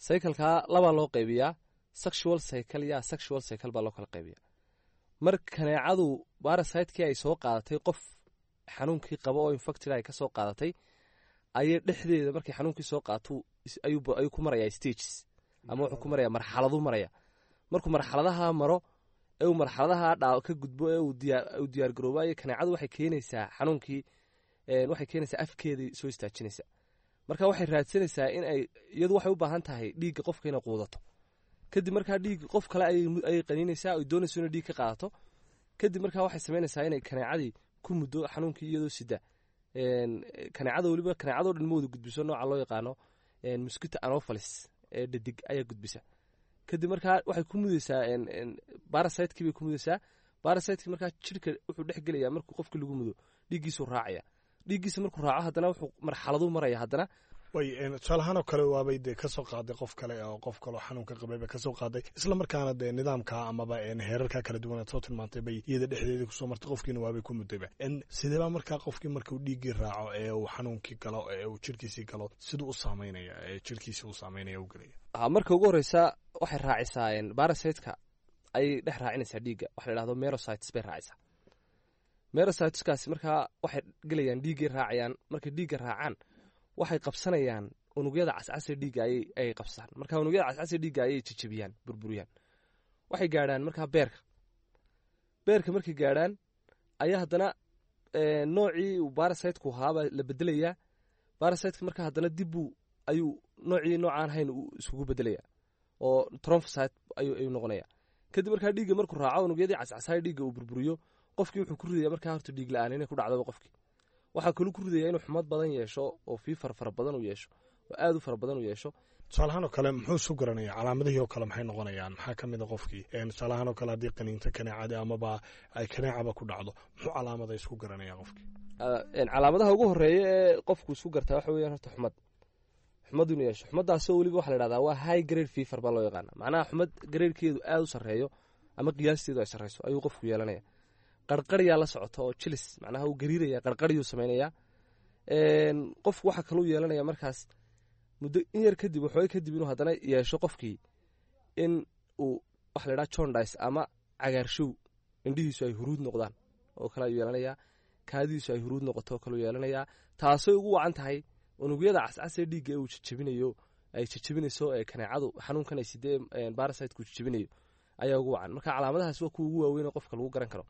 Speaker 6: Cyclekaa labaa loo qaybiyaa, sexual cycle iyo asexual cycle baa loo kala qaybiyaa. Mar kaneecadu parasitekii ay soo qaadatay qof Xanuunkii qaba oo infected ay kasoo qaadatay ayay dhexdeeda markay xanuunkii soo qaato ayuu ku marayaa stages, ama wuxuu ku marayaa marxaladu maraya. Markuu marxaladaha maro ee uu marxaladaha dhaa ka gudbo ee uu diyaar uu diyaar garoobayo, kaneecadu waxay keenaysaa xanuunkii, waxay keenaysaa afkeedii soo istaajinaysa. Marka waxay raadsanaysaa in ay iyadu waxay u baahan tahay dhiigga qofka inay quudato. Kadib markaa dhiig qof kale ayay qaniinaysaa oy doonayso inay dhiig ka qaadato. Kadib markaa waxay samaynaysaa inay kaneecadii ku muddo xanuunkii iyadoo sida. Kaneecada weliba kaneecadoo dhan ma wada gudbiso, nooca loo yaqaano mosquito anopheles ee dhadig ayaa gudbisa. Kadib markaa waxay ku mudaysaa parasite-kii bay ku mudaysaa. Parasite-kii markaa jirka wuxuu dhex gelayaa markuu qofkii lagu mudo, dhiiggiisuu raacaya. Dhiiggiisa markuu raaco haddana wuxuu marxaladuu maraya haddana.
Speaker 4: Way tusaale ahaan oo kale waabay dee kasoo qaaday qof kale oo qof kaleo xanuunka qabay bay kasoo qaaday, isla markaana dee nidaamka amaba heerarka kala duwan aad soo tilmaantay bay iyada dhexdeedii kusoo martay, qofkiina waabay ku muddayba. Sideebaa markaa qofkii markuu dhiiggii raaco ee uu xanuunkii galo ee uu jirkiisii galo siduu u saameynaya ee jirkiisii u saameynaya u gelaya?
Speaker 6: Marka ugu horeysa waxay raacisaa parasite-ka ayay dhex raacinaysaa dhiigga, waxa la idhahdo merocytes bay raacisaa. Merocyteskaasi markaa waxay gelayaan dhiiggay raacayaan. Markay dhiigga raacaan waxay qabsanayaan unugyada cascasee dhiigga ayay ayay qabsaan. Marka unugyada cascasee dhiigga ayay jejebiyaan, burburiyaan. Waxay gaadhaan markaa beerka. Beerka markay gaadhaan ayaa haddana noocii uu parasite-ku ahaabaa la bedelayaa. Parasite-ka markaa haddana dib buu ayuu noocii noocaan hayn uu iskugu bedelayaa oo trophozoite ayuu ayuu noqonaya. Kadib markaa dhiigga markuu raaco unugyadii cascasaay dhiigga uu burburiyo, qofkii wuxuu ku ridayaa markaa horta dhiig la-aan inay ku dhacdaba. Qofkii waxaa kaluu ku ridayaa inuu xumad badan yeesho oo fever fara badan uu yeesho oo aad u fara badan uu yeesho.
Speaker 4: Tusaale ahaan oo kale muxuu isu garanaya? Calaamadihii oo kale maxay noqonayaan? Maxaa ka mid a qofkii tusaale ahaan oo kale haddii qaniinto kaneecada amaba ay kaneecaba ku dhacdo, muxuu calaamada isku garanaya qofkii?
Speaker 6: Calaamadaha ugu horeeya ee qofku isku gartaa waxa weeyaan horta xumad, xumad inuu yeesho. Xumadaasoo weliba waxa la idhahdaa waa high grade fever baa loo yaqaana, macnaha xumad gradekeedu aad u sarreeyo ama qiyaasteedu ay sarreyso ayuu qofku yeelanaya. Qarqaryaa la socota oo chills, macnaha uu gariiraya, qarqaryuu samaynayaa qofku. Waxaa kaluu yeelanaya markaas muddo in yar kadib, waxooga kadib, inuu haddana yeesho qofkii in uu waxa la idhaha jaundice ama cagaarshow, indhihiisu ay huruud noqdaan oo kale ayuu yeelanayaa, kaadidiisu ay huruud noqoto oo kaleu yeelanayaa. Taasay ugu wacan tahay unugyada cascasee dhiigga ee uu jejebinayo, ay jejebinayso ee kaneecadu xanuunkan ay sidee parasite-ku jejebinayo ayaa ugu wacan. Marka calaamadahaas waa kuwa ugu waaweyn oo qofka lagu garan karo.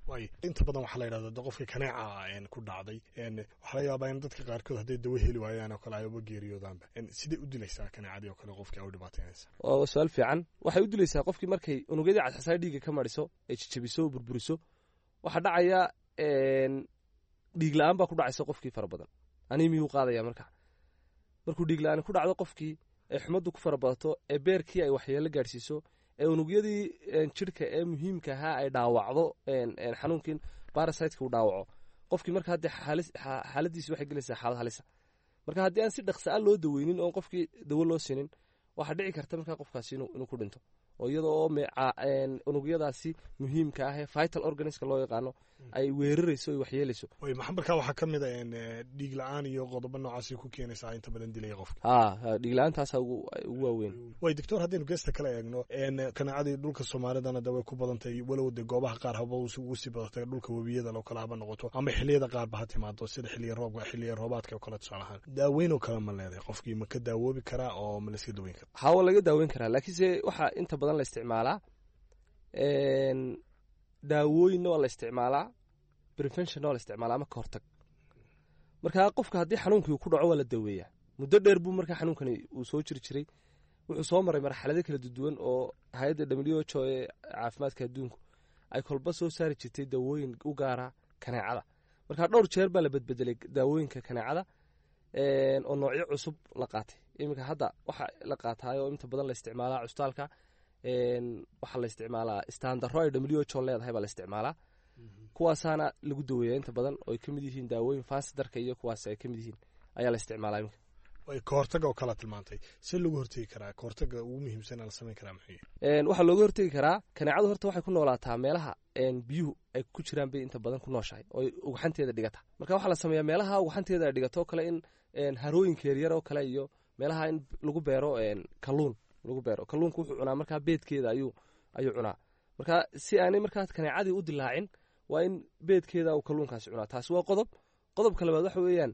Speaker 4: Way inta badan waxaa la yidhahdaa de qofka kaneeca ku dhacday waxaa laga yaabaa in dadka qaarkood hadday dawo heli waayaan oo kale ay uba geeriyoodaanba. Sidee u dilaysaa kaneecadii oo kale qofkii ay u dhibaateynaysa?
Speaker 6: Waa su-aal fiican. Waxay u dilaysaa qofkii markay unugyadii cascasaa dhiigga ka mariso ay jejebiso oo burburiso, waxaa dhacaya dhiig la-aan baa ku dhacaysa qofkii fara badan, anemia-yuu qaadaya. Marka markuu dhiig la-aan ku dhacdo qofkii ee xumaddu ku fara badato ee beerkii ay waxyeelo gaadhsiiso ee unugyadii jidhka ee muhiimka ahaa ay dhaawacdo, xanuunkii parasite-ka uu dhaawaco qofkii, marka haddee xaaladiisi waxay gelaysaa xaalad halisa. Marka haddii aan si dhaqsa a loo daweynin oon qofkii dawo loo siinin, waxaa dhici karta markaa qofkaasi inuu ku dhinto oo iyada oo unugyadaasi muhiimka ah ee vital organs-ka loo yaqaano ay weerarayso ay waxyeelayso.
Speaker 4: Way maxaa markaa waxaa ka mid a dhiig la-aan iyo qodobo noocaasi ku keenaysaa inta badan dilaya qofka?
Speaker 6: Ha, dhiig la-aantaasa ugu waaweyn.
Speaker 4: Way doctor, haddaynu geesta kale eegno, kaneecadii dhulka Soomaalidana de way ku badantay, walow de goobaha qaar haba ugu sii badatay, dhulka webiyada oo kale haba noqoto ama xilliyada qaarba ha timaado, sida xilliya roobka, xilliya roobaadka oo kale. Tusaale ahaan daaweyn oo kale ma leedahay? Qofkii ma ka daawoobi karaa oo ma la iska daweyn karaa?
Speaker 6: Hawa laga daaweyn karaa, laakiinse waxaa inta badan la isticmaalaa daawooyinna waa la isticmaalaa, preventionna waa la isticmaalaa ama ka hortag. Marka qofka haddii xanuunkii ku dhaco waa la daweeyaa. Muddo dheer buu markaa xanuunkani uu soo jiri jiray, wuxuu soo maray marxalado kala duwan oo hay-adda W H O ee caafimaadka adduunku ay kolba soo saari jirtay daawooyin u gaara kaneecada. Marka dhowr jeer baa la bedbedelay daawooyinka kaneecada oo noocyo cusub la qaatay. Iminka hadda waxa la qaataay oo inta badan la isticmaalaa cusbitaalka waxaa la isticmaalaa standarro ay W H O leedahay baa la isticmaalaa, kuwaasaana lagu daweeyaa inta badan, oo ay ka mid yihiin daawooyin Fansidarka iyo kuwaas ay ka mid yihiin ayaa la isticmaalaa iminka.
Speaker 4: Way ka hortaga oo kala tilmaantay, see loogu hortegi karaa? Ka hortaga ugu muhiimsan la samayn karaa maxay?
Speaker 6: Waxaa looga hortegi karaa, kaneecadu horta waxay ku noolaataa meelaha biyuhu ay ku jiraan bay inta badan ku nooshahay oo ugxanteeda dhigata. Marka waxaa la sameeyaa meelaha ugxanteeda ay dhigato oo kale in harooyinka yaryar oo kale iyo meelaha in lagu beero kalluun lagu beero. Kalluunku wuxuu cunaa markaa beedkeeda ayuu ayuu cunaa. Marka si aanay markaa kaneecadii u dilaacin, Waa in beedkeeda uu kalluunkaasi cunaa. Taasi waa qodob. Qodobka labaad waxa weeyaan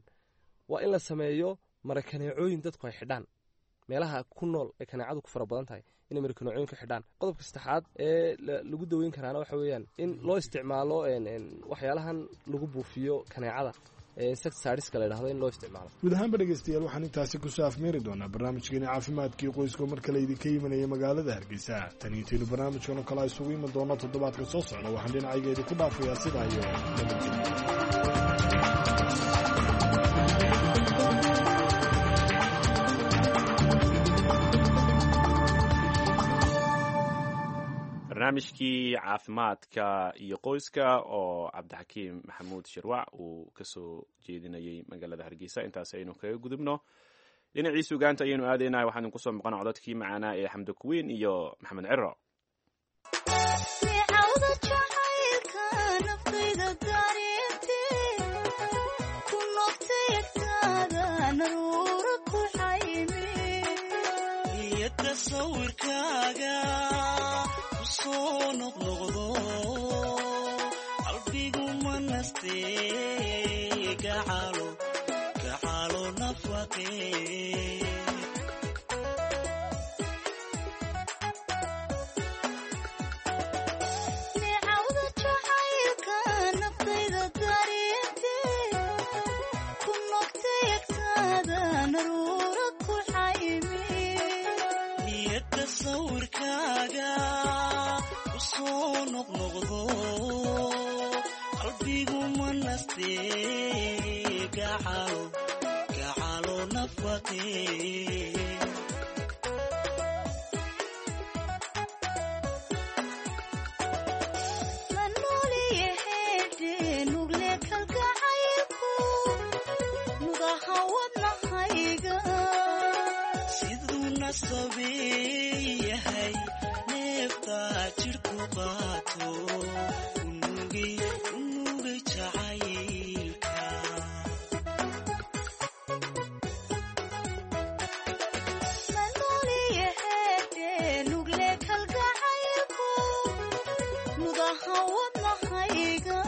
Speaker 6: waa in la sameeyo marakaneecooyin dadku ay xidhaan meelaha ku nool ee kaneecadu ku fara badan tahay, inay marakaneecooyin ka xidhaan. Qodobka saddexaad ee lagu daweyn karaana waxa weeyaan in loo isticmaalo waxyaalahan lagu buufiyo kaneecada, insecticideska la yidhahdo, in loo isticmaalo.
Speaker 4: Guud ahaanba dhegeystayaal, waxaan intaasi kusoo afmeeri doonaa barnaamijkeeni caafimaadkii qoyska oo mar kale idinka imanaya magaalada Hargeysa. Tan intaynu barnaamijkan oo kale isugu iman doono toddobaadka soo socda, waxaan dhinacayga idinku dhaafayaa sidaa iyo nabadgelyo.
Speaker 3: Barnaamijkii caafimaadka iyo qoyska oo Cabdixakiim Maxamuud Shirwac uu kasoo jeedinayay magaalada Hargeysa, intaas aynu kaga gudubno. Dhinacii sugaanta ayaynu aadaynaa. Waxaan idinku soo maqan codadkii macaanaa ee Xamdi Kuwiin iyo Maxamed Ciro.
Speaker 7: Sawirkaaga kusoo noqnoqdo qalbigu ma nastee, gacalo gacalo nafaqee.
Speaker 8: Neecawda jacaylka naftayda dareente ku noqtay agtaada naruura ku xaymi.
Speaker 7: Niyadda sawirkaaga kusoo noqnoqdo qalbigu ma nastee, gacalo gacalo nafaqee.
Speaker 8: La nooliyahedhe nugle kalgacaylku nugaha wadnahayga.
Speaker 7: Siduu nasabeeyahay neeftaa jidhku qaato, unugay unugay jacaylka.
Speaker 8: La nooliyahedhe nugle kalgacaylku nugaha wadnahayga.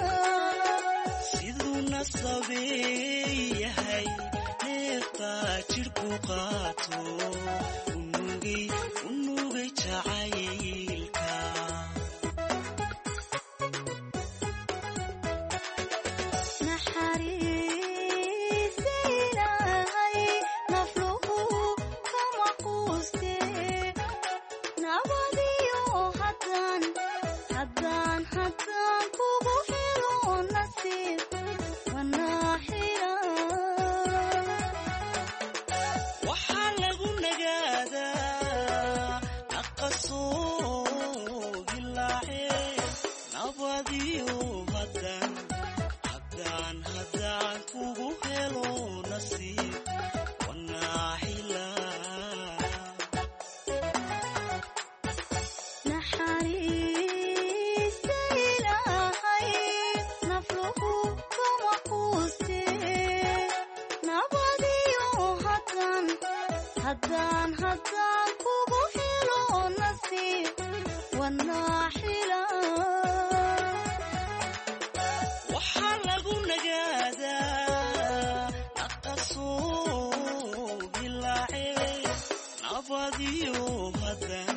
Speaker 7: Siduu nasabeeyahay neeftaa jidhku qaato, unugay unugay jacaylka.
Speaker 8: Naxariista Ilaahay nafluhu kama quuste, nabadiyo haddaan haddaan haddaan kugu helo nasiib wanaaxira.
Speaker 7: Waxaa lagu nagaadaa naqasoo dilaace, nabadiyo haddaan haddaan haddaan kugu helo nasiib wanaaxila.
Speaker 8: Naxariista Ilaahay nafluhu kama quuste, nabadiyo haddaan haddaan haddaan kugu helo nasiib wanaaxila.
Speaker 7: Waxaa lagu nagaadaa naqasoo dilaace, nabadiyo haddaan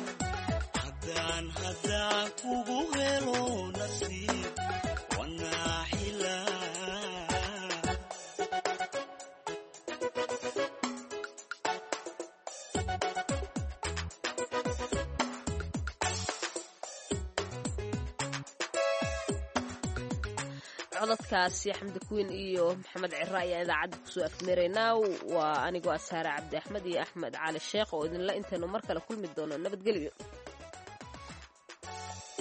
Speaker 7: haddaan haddaan kugu helo nasiib wanaaxila.
Speaker 2: Codadkaasi Xamdi Kuwiin iyo Maxamed Ciro ayaan idaacadda kusoo afmeeraynaa. Waa anigoo Asaare Cabdi Axmed iyo Axmed Cali Sheekh oo idinla intaynu mar kale kulmi doono nabadgelyo.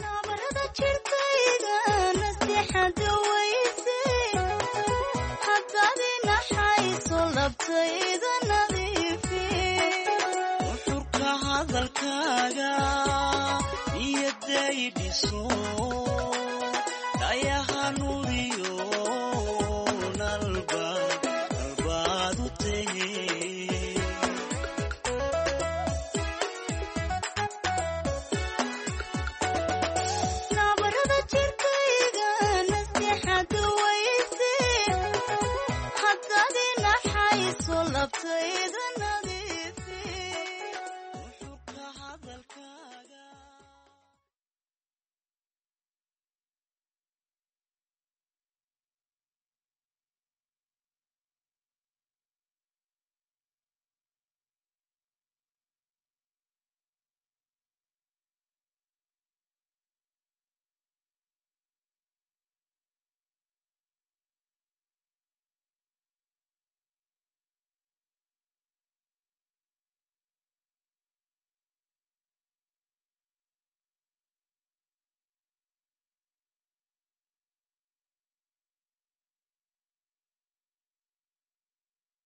Speaker 8: Nabarada jirkayga naseexada weyse, haddaad inaxayso labtayda nadiifi.
Speaker 7: Nuxurka hadalkaaga niyaday dhiso, dhayaha nuuriyo nalba nalbaad u tahe.
Speaker 8: Nabarada jirkayga. labtayda.